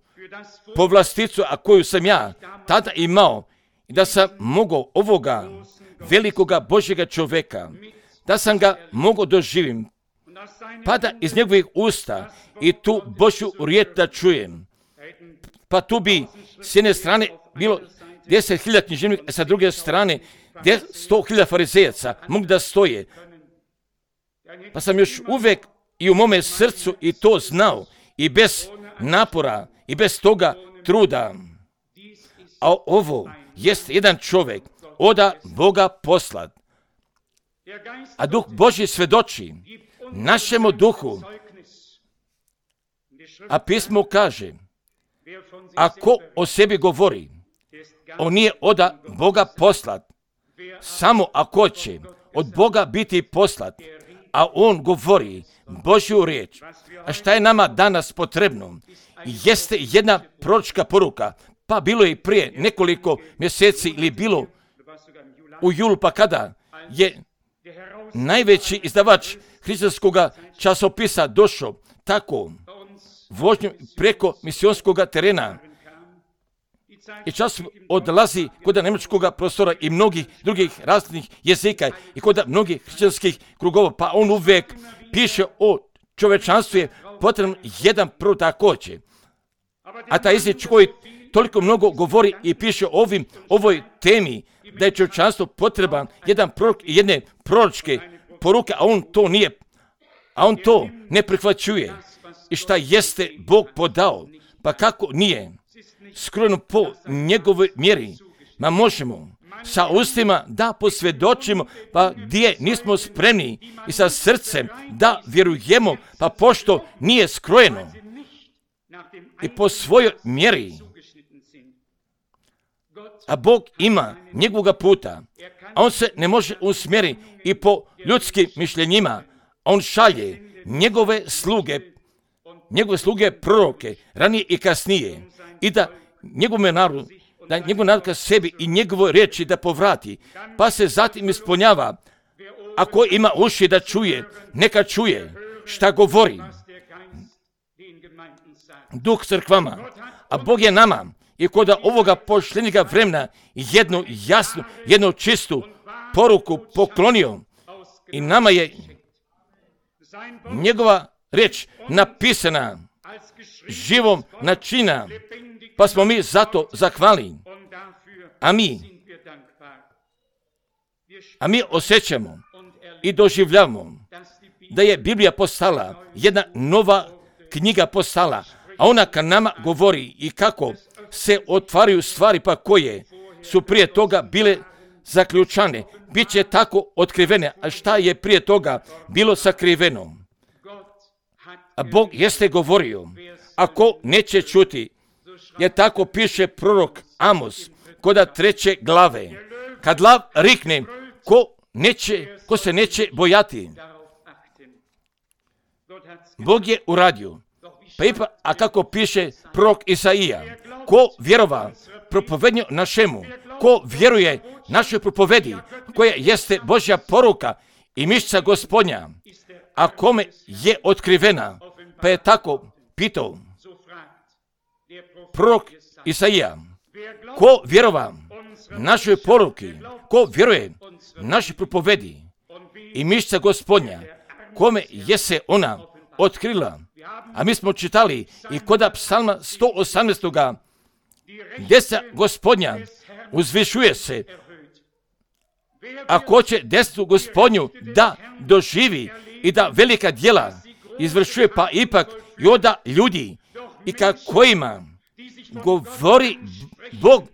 povlasticu, a koju sam ja tada imao, i da sam mogao ovoga velikoga Božjega čoveka, da sam ga mogao doživim, pa da iz njegovih usta i tu Božju riječ da čujem. Pa tu bi s jedne strane bilo deset hiljada književnika, a sa druge strane sto hiljada farizejaca mogli da stoje. Pa sam još uvijek i u mome srcu i to znao, i bez napora, i bez toga truda. A ovo jest jedan čovjek oda Boga poslat. A Duh Božji svedoči našemu duhu. A pismo kaže, ako o sebi govori, on nije oda Boga poslat, samo ako će od Boga biti poslat, a on govori Božju riječ. A šta je nama danas potrebno? Jeste jedna proročka poruka, pa bilo je i prije nekoliko mjeseci ili bilo u julu, pa kada je najveći izdavač hrišćanskog časopisa došao tako vožnjom preko misionskog terena i čas odlazi kod njemačkog prostora i mnogih drugih različitih jezika i kod mnogih hrišćanskih krugova, pa on uvijek piše o čovečanstvu je potrebno jedan prvo također. A taj jezik koji toliko mnogo govori i piše o ovim, ovoj temi, da je čovečanstvo potreban jedan prorok i jedne proročke poruke, a on to nije, a on to ne prihvaćuje. I šta jeste Bog podao, pa kako nije skrojeno po njegovoj mjeri, ma možemo sa ustima da posvjedočimo, pa gdje nismo spremni i sa srcem da vjerujemo, pa pošto nije skrojeno i po svojoj mjeri. A Bog ima njegovoga puta, a on se ne može usmjeriti i po ljudskim mišljenjima. On šalje njegove sluge, njegove sluge proroke, ranije i kasnije, i da njegove narodu, da njegov narod ka sebi i njegove riječi da povrati, pa se zatim ispunjava. Ako ima uši da čuje, neka čuje šta govori Duh crkvama, a Bog je nama i kod ovoga pošljenjega vremena jednu jasnu, jednu čistu poruku poklonio i nama je njegova riječ napisana živom načina, pa smo mi zato zahvalni. A mi, a mi osjećamo i doživljavamo da je Biblija postala jedna nova knjiga postala, a ona ka nama govori i kako se otvaraju stvari pa koje su prije toga bile zaključane, bit će tako otkrivene, a šta je prije toga bilo sakriveno. A Bog jeste govorio, ako neće čuti, jer tako piše prorok Amos, koda treće glave, kad lav rikne, ko, neće, ko se neće bojati. Bog je uradio. Pa ipak, a kako piše prorok Isaija, ko vjerova propovednju našemu, ko vjeruje našoj propovedi, koja jeste Božja poruka i mišća Gospodnja, a kome je otkrivena, pa je tako pitao prorok Isaija, ko vjerova našoj poruki, ko vjeruje našoj propovedi i mišća Gospodnja, kome je se ona otkrila, A mi smo čitali i kod psalma sto osamnaest. Deca Gospodnja uzvišuje se. Ako će desnu Gospodnju da doživi i da velika djela izvršuje, pa ipak i onda ljudi i kakvima govori Bog,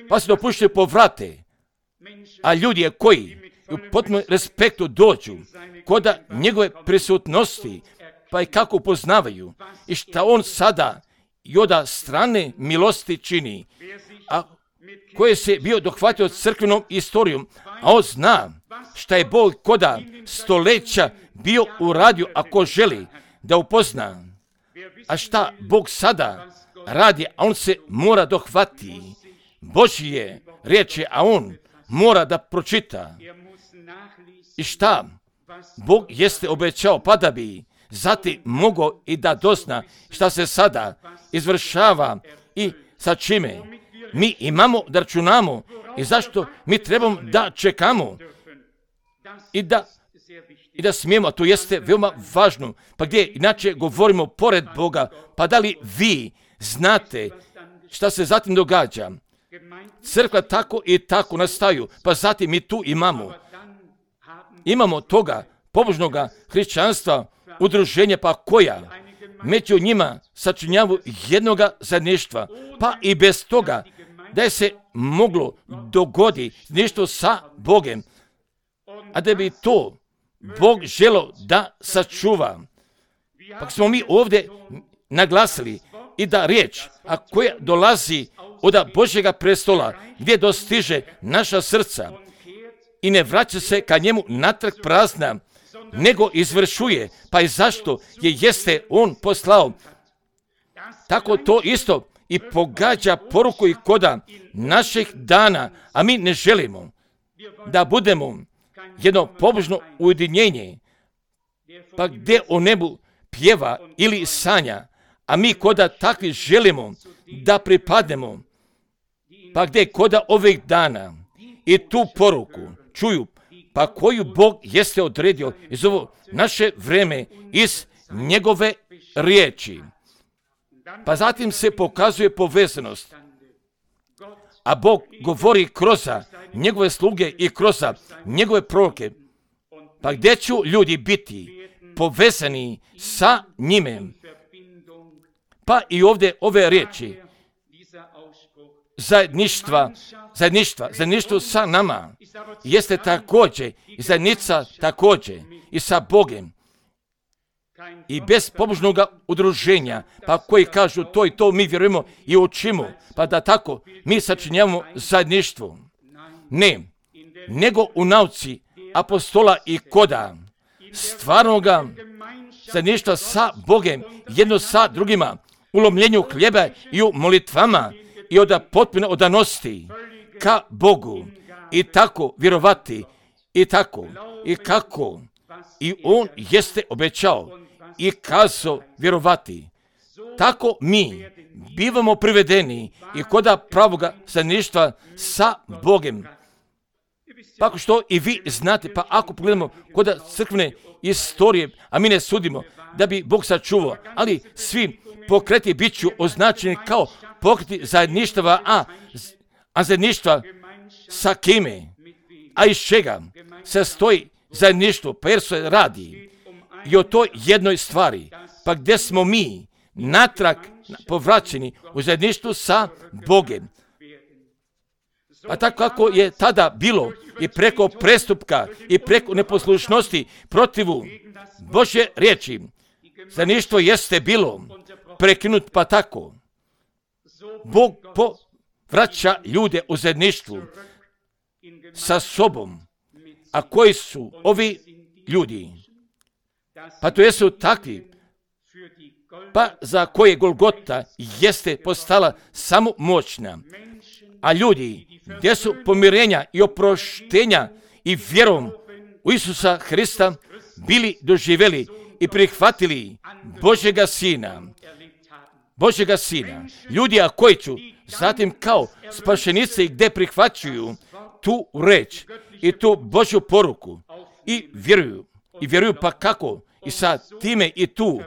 pa se dopuštaju povrate, a ljudi koji u potpunom respektu dođu kod njegove prisutnosti, pa i kako upoznavaju i šta on sada i od strane milosti čini, a koje se bio dohvatio crkvenom istorijom, a on zna šta je Bog koda stoleća bio uradio, ako želi da upozna, a šta Bog sada radi, a on se mora dohvati Božje riječi, a on mora da pročita i šta Bog jeste obećao, pa da bi zatim mogao i da dozna šta se sada izvršava i sa čime mi imamo da računamo i zašto mi trebamo da čekamo i da, i da smijemo, a to jeste veoma važno. Pa gdje inače govorimo pored Boga, pa da li vi znate šta se zatim događa? Crkva tako i tako nastaju, pa zatim mi tu imamo. Imamo toga pobožnoga hrišćanstva, udruženja, pa koja među njima sačinjavu jednoga zajedništva, pa i bez toga da je se moglo dogodi nešto sa Bogem, a da bi to Bog želo da sačuva. Pa smo mi ovdje naglasili i da riječ, a koja dolazi od Božjega prestola, gdje dostiže naša srca i ne vraća se ka njemu natrag prazna, nego izvršuje, pa i zašto je jeste on poslao. Tako to isto i pogađa poruku i koda naših dana, a mi ne želimo da budemo jedno pobožno ujedinjenje, pa gdje o nebu pjeva ili sanja, a mi koda takvi želimo da pripadnemo, pa gdje koda ovih dana i tu poruku čuju, pa koju Bog jeste odredio iz ovo naše vreme, iz njegove riječi. Pa zatim se pokazuje povezanost, a Bog govori kroz njegove sluge i kroz njegove proroke. Pa gdje će ljudi biti povezani sa njime? Pa i ovdje ove riječi zajedništva, zajedništva, zajedništvo sa nama jeste također i zajednica također i sa Bogem. I bez pobožnog udruženja, pa koji kažu to i to mi vjerujemo i učimo, pa da tako mi sačinjavamo zajedništvo. Ne, nego u nauci apostola i koda stvarnoga zajedništva sa Bogem, jedno sa drugima, u lomljenju hljeba i u molitvama i od potpune odanosti ka Bogu i tako vjerovati i tako i kako i on jeste obećao i kazao vjerovati. Tako mi bivamo privedeni i koda pravoga zajedništva sa Bogem. Pa što i vi znate, pa ako pogledamo koda crkvene istorije, a mi ne sudimo da bi Bog sačuvao, ali svi pokreti bit ću označeni kao pokreti zajedništva, a, a zajedništva sa kime, a iz čega se stoji zajedništvo, pa jer se radi i o toj jednoj stvari, pa gdje smo mi natrag povraćeni u zajedništvu sa Bogem. Pa tako kako je tada bilo i preko prestupka i preko neposlušnosti protivu Božje riječi, zajedništvo jeste bilo prekinut, pa tako Bog povraća ljude u zajedništvu sa sobom. A koji su ovi ljudi? Pa to jesu takvi, pa za koje Golgota jeste postala samo moćna. A ljudi gdje su pomirenja i oproštenja i vjerom u Isusa Hrista bili doživjeli i prihvatili Božjega Sina. Božjega Sina. Ljudi a koji ću zatim kao spašenice gdje prihvaćuju tu reč i tu Božju poruku i vjeruju. I vjeruju pa kako i sa time i tu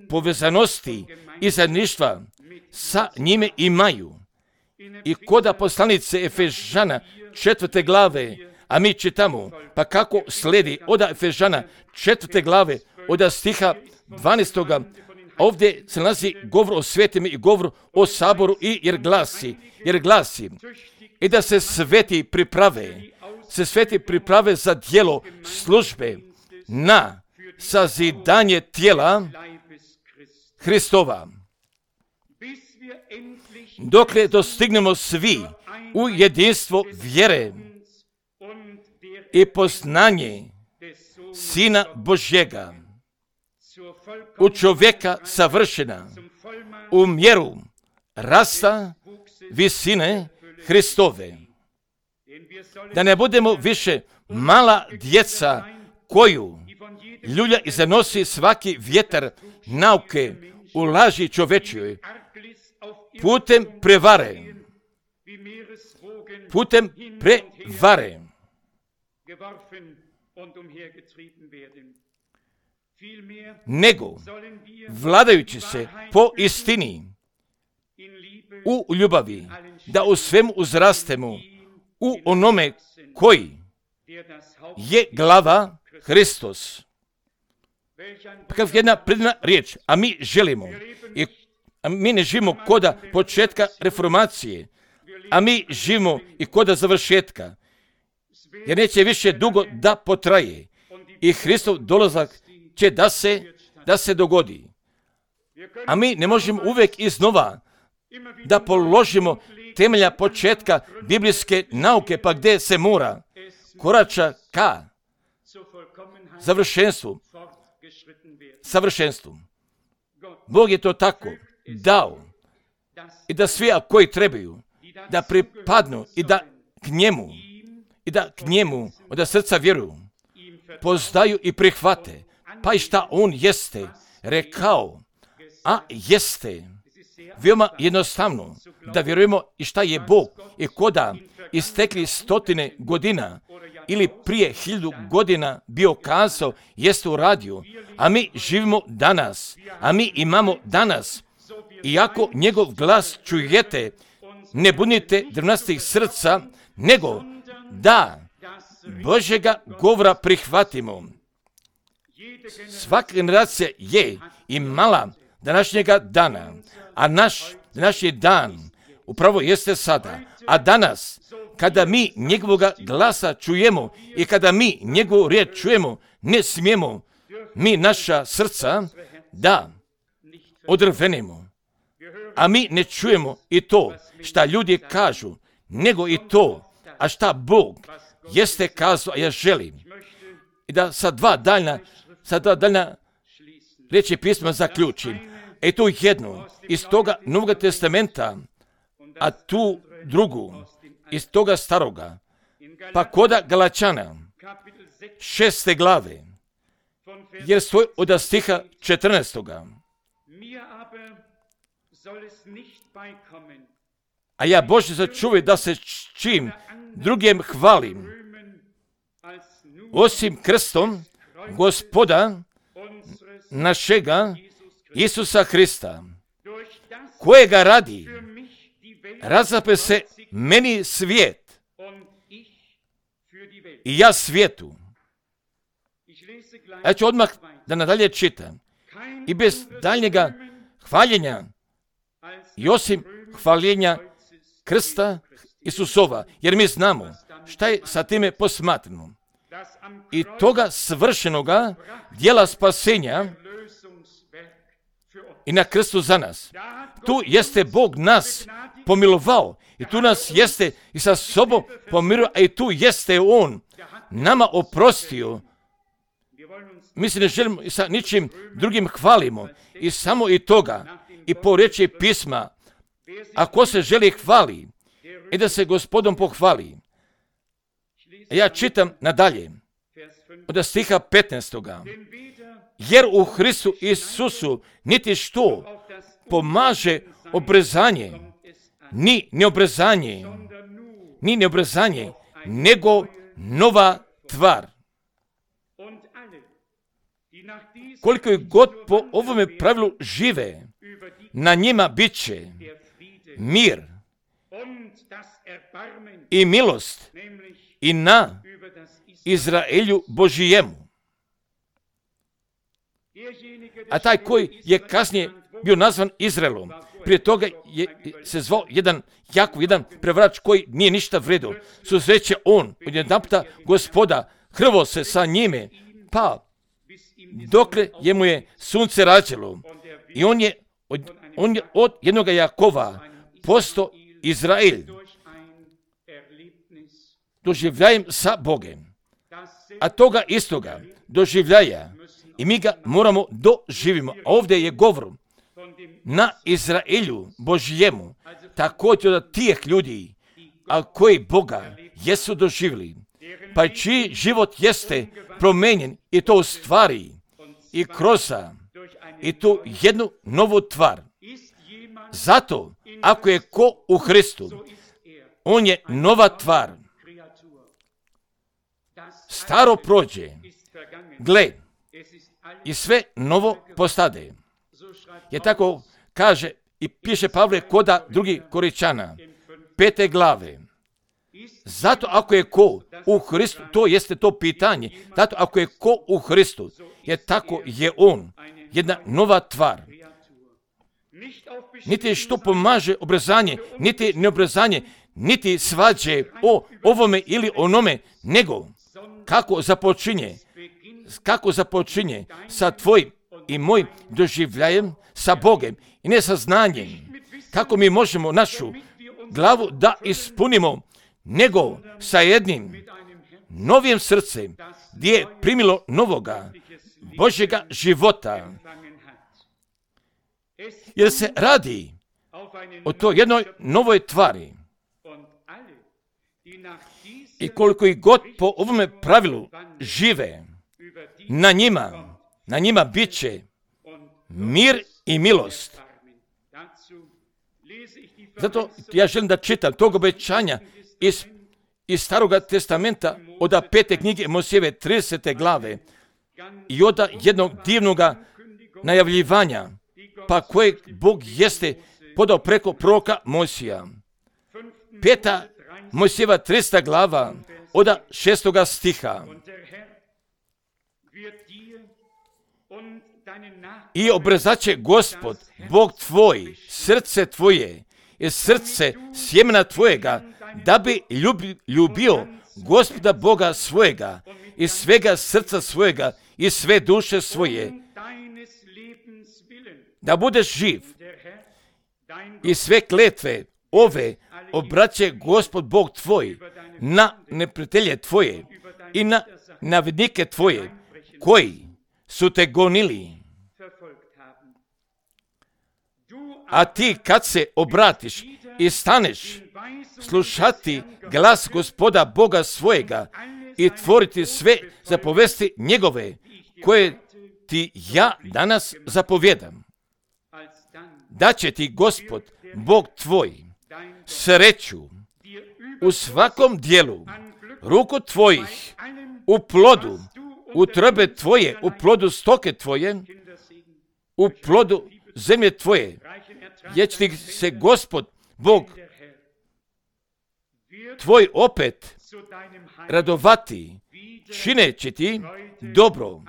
povezanosti i zajedništva sa njime imaju. I koda poslanice Efežana četvrte glave, a mi čitamo, pa kako slijedi od Efežana četvrte glave, od stiha dvanaestoga, ovdje se nalazi govor o svetima i govor o saboru i jer glasi, jer glasi, i da se sveti priprave, se sveti priprave za djelo službe na sazidanje tijela Hristova. Dokle dostignemo svi u jedinstvo vjere i poznanje Sina Božjega, u čovjeka savršena, u mjeru rasta visine Hristove. Da ne budemo više mala djeca koju ljulja i zanosi svaki vjetar nauke u laži čovečjoj, putem prevare, putem prevare, nego vladajući se po istini u ljubavi, da u svemu uzrastemo u onome koji je glava Hristos. Kao jedna predivna riječ, a mi želimo, i a mi ne živimo koda početka reformacije, a mi živimo i koda završetka, jer neće više dugo da potraje i Hristov dolazak će da se, da se dogodi. A mi ne možemo uvijek iznova da položimo temelja početka biblijske nauke, pa gdje se mora korača ka završenstvu, savršenstvu. Bog je to tako dao i da svi koji trebaju da pripadnu i da k njemu i da k njemu od srca vjeruju, poznaju i prihvate, pa i šta on jeste rekao, a jeste veoma jednostavno da vjerujemo i šta je Bog i koda istekli stotine godina ili prije hiljadu godina bio kazao, jeste uradio, a mi živimo danas, a mi imamo danas. Iako njegov glas čujete, ne bunite drvnastih srca, nego da Božjega govora prihvatimo. Svaka generacija je imala današnjega dana, a naš današnji dan upravo jeste sada. A danas, kada mi njegovoga glasa čujemo i kada mi njegovu riječ čujemo, ne smijemo mi naša srca da odrvenimo. A mi ne čujemo i to šta ljudi kažu, nego i to, a šta Bog jeste kazao, a ja želim. I da sa dva daljna, sa dva daljna riječi pisma zaključim. E tu jednu iz toga Novog testamenta, a tu drugu iz toga staroga. Pa koda Galačana, šeste glave, jer stoji od stiha četrnaestoga. A ja Bože začuvaj da se čim drugim hvalim, osim krstom Gospoda našega Isusa Hrista, kojega radi razape se meni svijet i ja svijetu. Ja ću odmah da nadalje čitam. I bez daljnjega hvaljenja i osim hvaljenja krsta Isusova, jer mi znamo šta je sa time posmatrano. I toga svršenoga djela spasenja i na krstu za nas. Tu jeste Bog nas pomilovao i tu nas jeste i sa sobom pomirio, a i tu jeste On nama oprostio. Mi se ne želimo i sa ničim drugim hvalimo i samo i toga i po riječi pisma, ako se želi hvali i da se Gospodom pohvali. Ja čitam nadalje od stiha petnaestoga. Jer u Hristu Isusu niti što pomaže obrezanje, ni neobrezanje, ni neobrezanje, nego nova tvar. koliko je god po ovome pravilu žive, na njima bit će mir i milost i na Izraelju Božijemu. A taj koji je kasnije bio nazvan Izraelom, prije toga je se zvao jedan Jakov, jedan prevarač koji nije ništa vredo. Susreće on, odjedanputa Gospoda, hrvo se sa njime, pa dokle je mu je sunce rađalo. I on je od, on je od jednoga Jakova postao Izrael. Doživljajem sa Bogem. A toga istoga doživljaja i mi ga moramo doživimo. A ovdje je govor na Izraelju Božijemu, također od tih ljudi, a koji Boga jesu doživjeli, pa čiji život jeste promenjen i to u stvari i kroz i tu jednu novu tvar. Zato, ako je ko u Hristu, on je nova tvar. Staro prođe, gle, i sve novo postade. Je tako kaže i piše Pavle koda drugi Koričana, pete glave. Zato ako je ko u Hristu, to jeste to pitanje, zato ako je ko u Hristu, je tako je on, jedna nova tvar. Niti što pomaže obrezanje, niti neobrezanje, niti svađe o ovome ili onome, nego kako započinje, kako započinje sa tvojim i mojim doživljajem sa Bogem i ne sa znanjem, kako mi možemo našu glavu da ispunimo, nego sa jednim novim srcem gdje je primilo novoga Božjega života. Jer se radi o toj jednoj novoj tvari. I koliko i god po ovome pravilu žive, na njima, na njima bit će mir i milost. Zato ja želim da čitam tog obećanja iz, iz Staroga testamenta od pete knjige Mojsijeve tridesete glave i od jednog divnog najavljivanja, pa kojeg Bog jeste podao preko proroka Mojsija. Peta Mojsijeva trideseta glava od šestoga stiha. I obrezat Gospod, Bog tvoj, srce tvoje i srce sjemena tvojega, da bi ljubi, ljubio Gospoda Boga svojega i svega srca svojega i sve duše svoje, da budeš živ i sve kletve ove obraće Gospod Bog tvoj na neprijatelje tvoje i na navednike tvoje koji su te gonili. A ti kad se obratiš i staneš slušati glas Gospoda Boga svojega i tvoriti sve zapovesti njegove koje ti ja danas zapovjedam, da će ti Gospod Bog tvoj sreću u svakom dijelu ruku tvojih, u plodu utrobe tvoje, u plodu stoke tvoje, u plodu zemlje tvoje, jer će ti se Gospod Bog tvoj opet radovati, čineći ti dobro,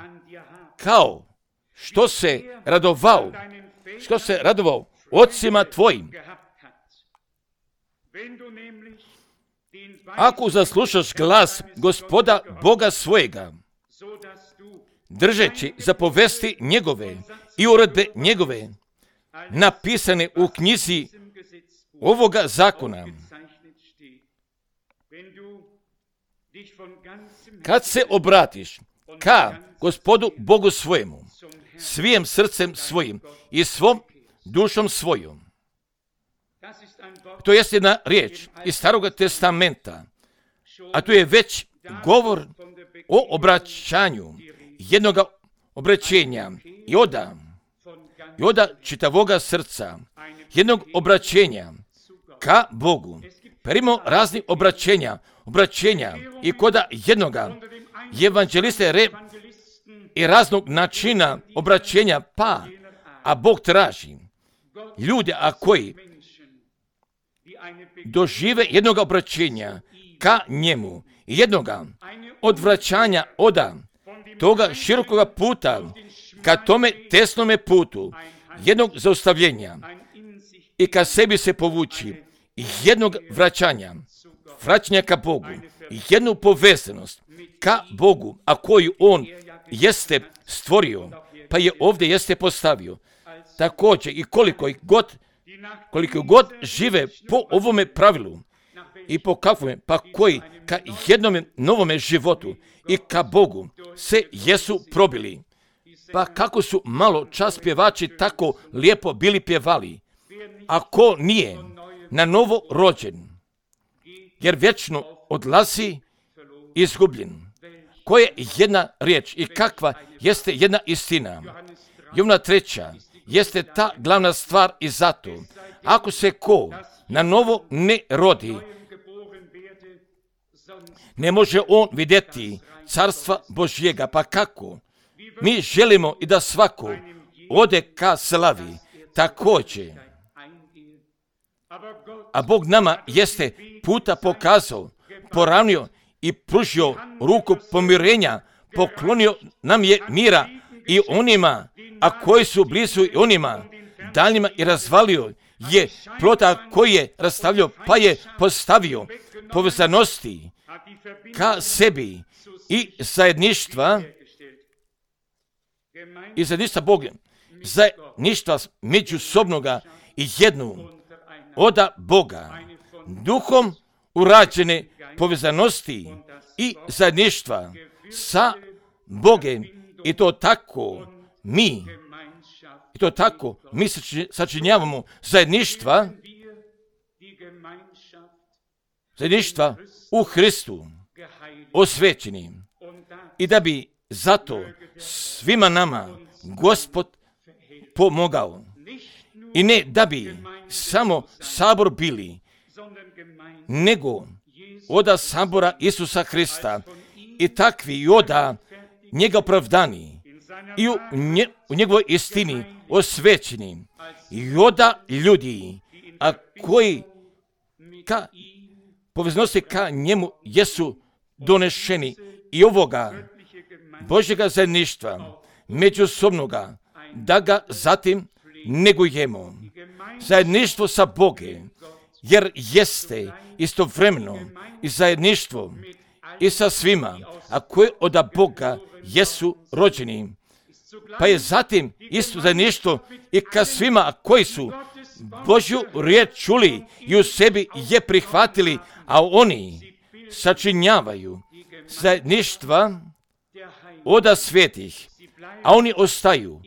kao što se radovao, što se radovao ocima tvojim. Ako zaslušaš glas Gospoda Boga svojega, držeći zapovesti njegove i uredbe njegove, napisane u knjizi ovoga zakona, kad se obratiš ka Gospodu Bogu svojemu, svijim srcem svojim i svom dušom svojom. To je jedna riječ iz Staroga testamenta, a tu je već govor o obraćanju jednoga obraćenja i oda, i oda čitavoga srca, jednog obraćenja ka Bogu. Primo razni obraćenja, obraćenja i koda jednoga evanđeliste re, i raznog načina obraćenja, pa, a Bog traži ljude, a koji dožive jednoga obraćenja ka njemu, jednoga odvraćanja od toga širokoga puta ka tome tesnome putu, jednog zaustavljenja i ka sebi se povući, jednog vraćanja, vraćanja ka Bogu, jednu povezanost ka Bogu, a koju On jeste stvorio, pa je ovdje jeste postavio. Također i koliko god, koliko god žive po ovome pravilu i po kakvome, pa koji ka jednome novome životu i ka Bogu se jesu probili. Pa kako su malo čas pjevači tako lijepo bili pjevali, ako nije na novo rođen, jer vječno odlazi izgubljen. Koja je jedna riječ i kakva jeste jedna istina? Jovna treća jeste ta glavna stvar i zato, ako se ko na novo ne rodi, ne može on vidjeti carstva Božjega. Pa kako? Mi želimo i da svako ode ka slavi također. A Bog nama jeste puta pokazao, poravnio i pružio ruku pomirenja, poklonio nam je mira i onima, a koji su blizu i onima daljnjima, i razvalio je plota koji je rastavljao, pa je postavio povezanosti ka sebi i zajedništva i zajedništva Boga, zajedništva međusobnoga i jednu oda Boga, duhom urađene povezanosti i zajedništva sa Bogem, i to tako mi, i to tako mi sačinjavamo zajedništva, zajedništva u Hristu, osvećeni, i da bi zato svima nama Gospod pomogao. I ne da bi samo sabor bili, nego oda sabora Isusa Hrista, i takvi i oda njega opravdani i u, nje, u njegovoj istini osvećeni, i oda ljudi, a koji ka poveznosti ka njemu jesu donešeni, i ovoga Božjega zajedništva međusobnoga, da ga zatim negujemo. Zajedništvo sa Bogom, jer jeste istovremeno i zajedništvo i sa svima, a koji od Boga jesu rođeni. Pa je zatim isto zajedništvo i ka svima, a koji su Božju riječ čuli i u sebi je prihvatili, a oni sačinjavaju zajedništva oda svetih, a oni ostaju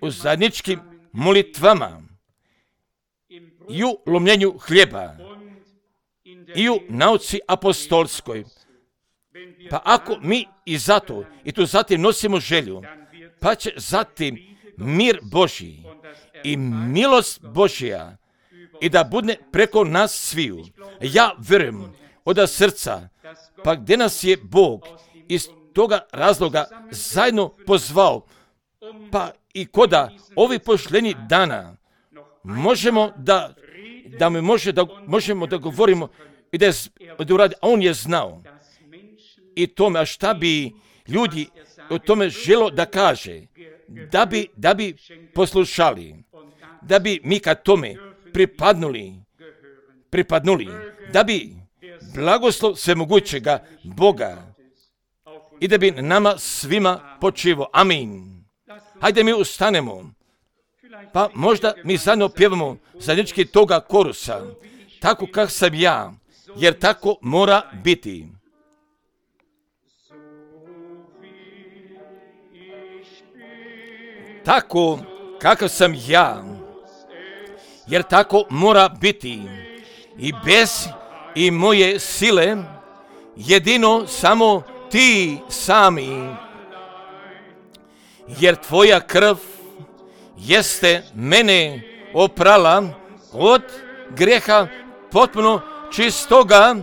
u zajedničkim molitvama i u lomljenju hljeba i u nauci apostolskoj. Pa ako mi i zato i tu zatim nosimo želju, pa će zatim mir Božji i milost Božja i da bude preko nas sviju. Ja vjerujem od srca, pa gdje nas je Bog iz toga razloga zajedno pozvao, pa i koda ovi pošljeni dana možemo da, da mi može da, možemo da govorimo i da je da uradi, a on je znao i tome, a šta bi ljudi o tome želo da kaže, da bi, da bi poslušali, da bi mi ka tome pripadnuli, pripadnuli, da bi blagoslov svemogućega Boga i da bi nama svima počivo. Amin. Hajde mi ustanemo, pa možda mi zajedno pjevamo zajednički toga korusa, tako kak sam ja, jer tako mora biti. Tako kakav sam ja, jer tako mora biti, i bez i moje sile, jedino samo ti sami, jer tvoja krv jeste mene oprala od grijeha potpuno čistoga,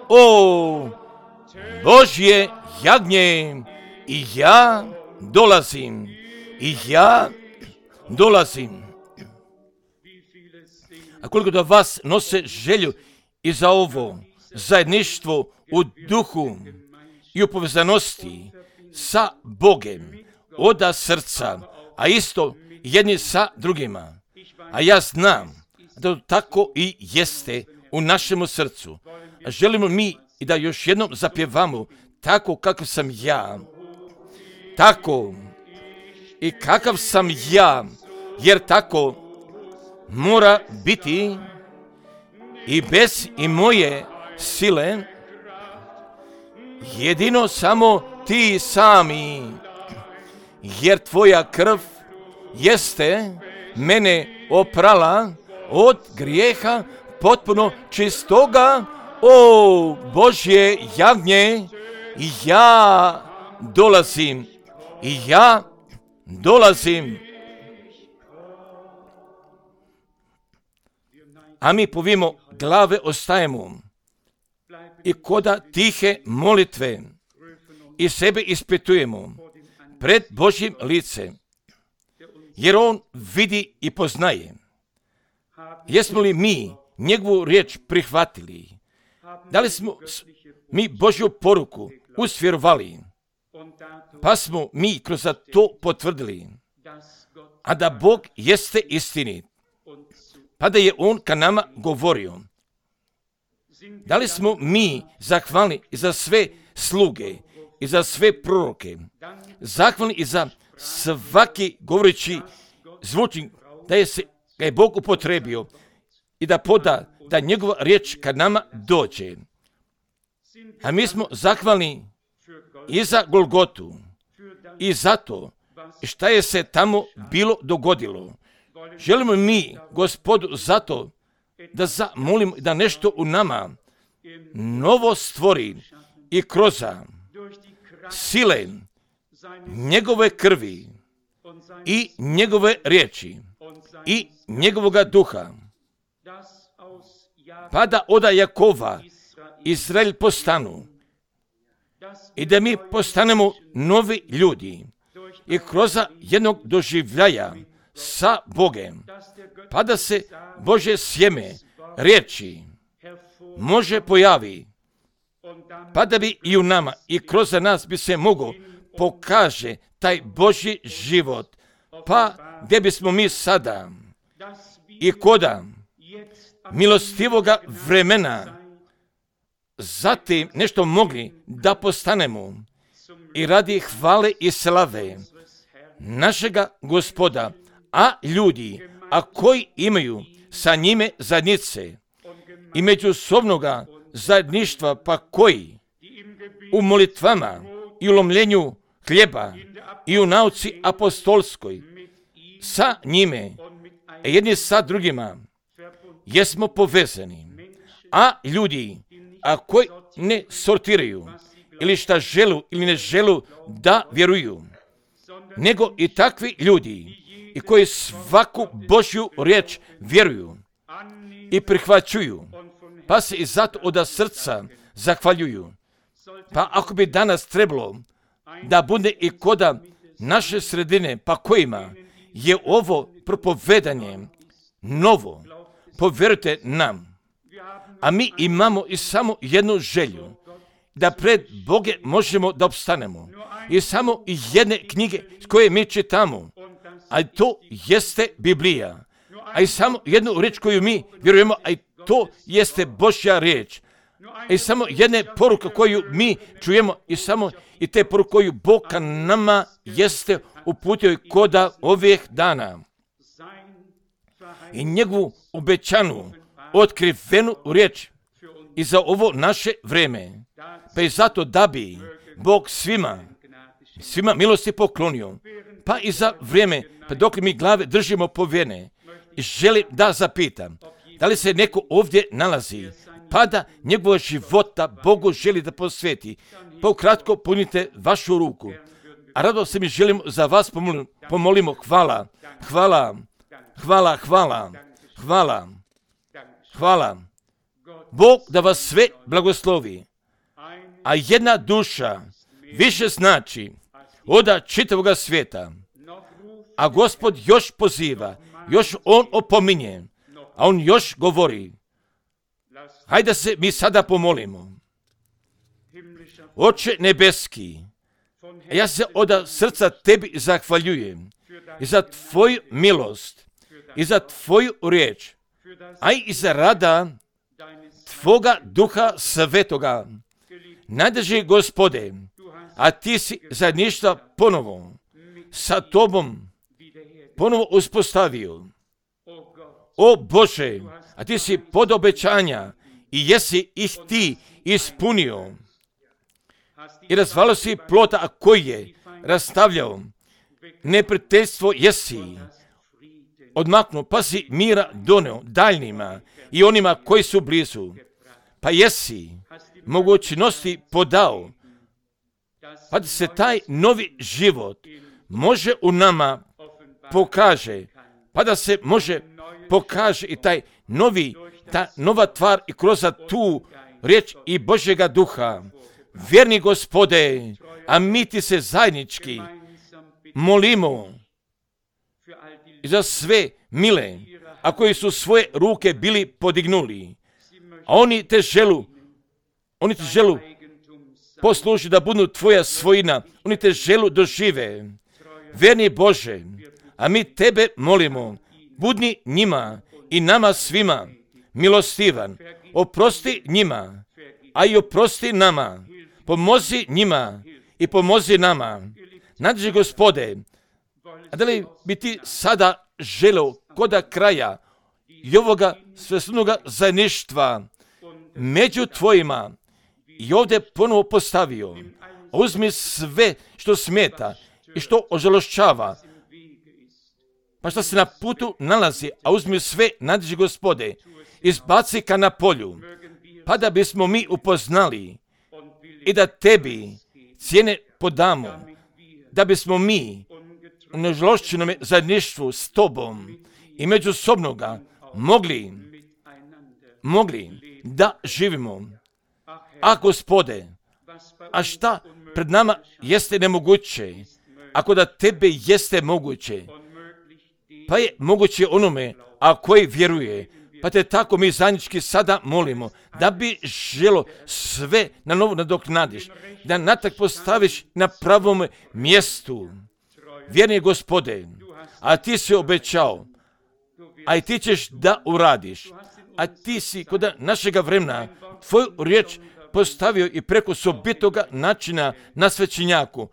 o Božje jagnje, i ja dolazim. I ja dolazim. A koliko da vas nose želju i za ovo zajedništvo u duhu i u povezanosti sa Bogem, oda srca, a isto jedni sa drugima. A ja znam da tako i jeste u našemu srcu. A želimo mi i da još jednom zapjevamo tako kakav sam ja. Tako i kakav sam ja, jer tako mora biti i bez i moje sile, jedino samo ti sami, jer tvoja krv jeste mene oprala od grijeha potpuno čistoga. O Božje jagnje, ja dolazim, i ja dolazim. A mi povimo glave ostajemo i koda tihe molitve i sebe ispitujemo pred Božjim licem, jer On vidi i poznaje. Jesmo li mi njegovu riječ prihvatili? Da li smo mi Božju poruku usvjerovali? Pa smo mi kroz to potvrdili, a da Bog jeste istinit, pa da je On ka nama govorio. Da li smo mi zahvalni i za sve sluge i za sve proroke, zahvalni i za svaki govoreći zvučnik, da je se da je Bog upotrebio i da poda da njegova riječ kad nama dođe. A mi smo zahvalni i za Golgotu i za to šta je se tamo bilo dogodilo. Želimo mi Gospodu zato da zamolimo da nešto u nama novo stvori i kroz sile njegove krvi i njegove riječi i njegovoga duha, pa da oda Jakova Izrael postanu i da mi postanemo novi ljudi i kroz jednog doživljaja sa Bogem, pa da se Božje sjeme riječi može pojavi, pa da bi i u nama i kroz nas bi se mogo pokaže taj Božji život, pa gdje bismo mi sada i koda milostivoga vremena zatim nešto mogli da postanemo i radi hvale i slave našega Gospoda, a ljudi, a koji imaju sa njime zajednice i međusobnoga zajedništva, pa koji u molitvama i u lomljenju hljeba i u nauci apostolskoj sa njime, jedni sa drugima, jesmo povezani. A ljudi, a koji ne sortiraju, ili šta želu ili ne želu da vjeruju, nego i takvi ljudi i koji svaku Božju riječ vjeruju i prihvaćuju, pa se i zato od srca zahvaljuju. Pa ako bi danas trebalo da bude i koda naše sredine, pa kojima je ovo propovedanje novo, povjerujte nam, a mi imamo i samo jednu želju, da pred Boge možemo da opstanemo. I samo jedne knjige koje mi čitamo, a to jeste Biblija. A i samo jednu riječ koju mi vjerujemo, a i to jeste Božja riječ. I samo jedne poruke koju mi čujemo, i samo i te poruke koju Bog ka nama jeste uputio i koda ovih dana. I njegovu obećanu, otkrivenu riječ i za ovo naše vreme. Pa i zato da bi Bog svima, svima milosti poklonio, pa i za vrijeme, pa dok mi glave držimo povjene, i želim da zapitam, da li se neko ovdje nalazi, pa da njegova života Bogu želi da posveti, pa ukratko punite vašu ruku. A rado se mi želimo za vas pomolimo, pomolimo hvala, hvala, hvala, hvala, hvala, hvala. Bog da vas sve blagoslovi. A jedna duša više znači oda čitavoga svijeta. A Gospod još poziva, još On opominje, a On još govori. Hajde se mi sada pomolimo. Oče nebeski, ja se od srca tebi zahvaljujem i za tvoju milost, i za tvoju riječ, a i za rada tvoga duha svetoga. Najdrži Gospode, a ti si zajedništva ponovo sa tobom ponovo uspostavio. O Bože, a ti si pod obećanja i jesi ih ti ispunio. I razvalio si plota, a koji je rastavljao. Neprijateljstvo jesi odmaknuo, pa si mira doneo daljnjima i onima koji su blizu. Pa jesi mogućnosti podao, pa da se taj novi život može u nama pokaže, pa da se može pokaže i taj novi, ta nova tvar i kroz tu riječ i Božjega duha. Vjerni Gospode, a mi ti se zajednički molimo i za sve mile, a koji su svoje ruke bili podignuli, a oni te želu, oni te želu posluži da budu tvoja svojina, oni te želu dožive. Vjerni Bože, a mi tebe molimo, budni njima i nama svima milostivan, oprosti njima, a i oprosti nama, pomozi njima i pomozi nama. Nadži Gospode, a da li bi ti sada želeo koda kraja i ovoga svesnoga zajedništva među tvojima i ovdje ponovo postavio, a uzmi sve što smeta i što ožalošćava, pa što se na putu nalazi, a uzmi sve, nadži Gospode, izbaci ka na polju, pa da bismo mi upoznali i da tebi cijene podamo, da bismo mi u nežalošćenom zajedništvu s tobom i međusobnoga mogli, mogli da živimo. A Gospode, a šta pred nama jeste nemoguće, ako da tebe jeste moguće, pa je moguće onome, a koji vjeruje, pa te tako mi zajednički sada molimo, da bi želo sve na novo nadoknadiš, da natak postaviš na pravom mjestu. Vjerni Gospode, a ti si obećao, a i ti ćeš da uradiš, a ti si kod našega vremena tvoju riječ postavio i preko sobitoga načina na svećenjaku,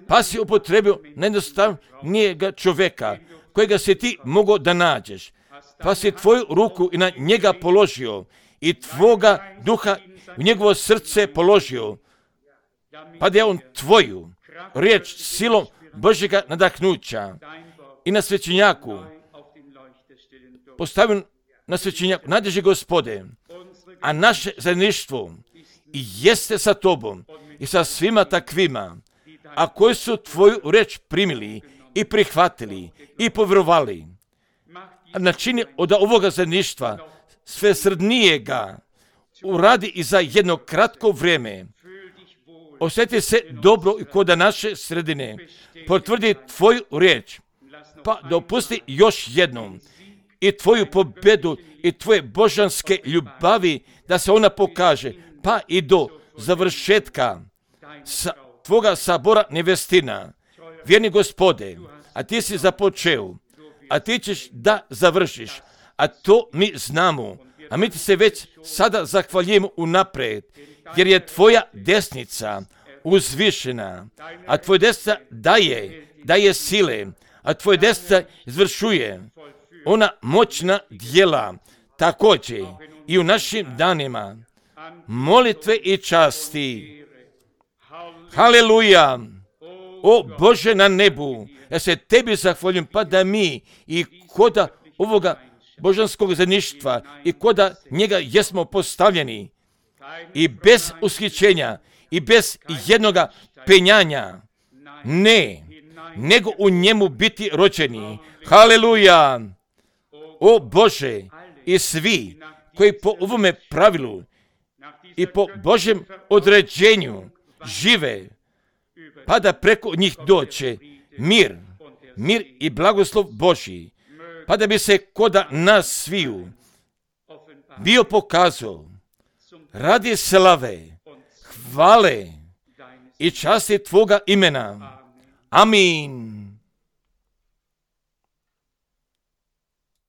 pa si upotrebio najjednostavnijega čovjeka, kojega si ti mogao da nađeš, pa si tvoju ruku i na njega položio i tvoga duha u njegovo srce položio, pa da je on tvoju riječ silom Božjega nadahnuća i na svećenjaku postavio na svećenjaku. Nadježi Gospode, a naše zajedništvo i jeste sa tobom i sa svima takvima, a koji su tvoju riječ primili i prihvatili i povjerovali. Načini od ovoga zajedništva sve srdnijega uradi i za jedno kratko vrijeme. Osjeti se dobro i kod naše sredine. Potvrdi tvoju riječ, pa dopusti još jednom i tvoju pobjedu i tvoje božanske ljubavi da se ona pokaže, pa i do završetka sa, tvoga sabora nevestina. Vjerni Gospode, a ti si započeo, a ti ćeš da završiš, a to mi znamo, a mi ti se već sada zahvaljujemo unaprijed, jer je tvoja desnica uzvišena, a tvoj desnica daje, daje sile, a tvoj desnica izvršuje ona moćna djela, također i u našim danima molitve i časti. Haleluja! O Bože na nebu, ja se tebi zahvaljujem, pa da mi i koda ovoga božanskog zajedništva i koda njega jesmo postavljeni i bez ushićenja i bez jednoga penjanja, ne, nego u njemu biti rođeni. Haleluja! O Bože, i svi koji po ovome pravilu i po Božjem određenju žive, pa da preko njih doće mir, mir i blagoslov Božji, pa da bi se koda nas sviju bio pokazao radi slave, hvale i časti Tvoga imena. Amin.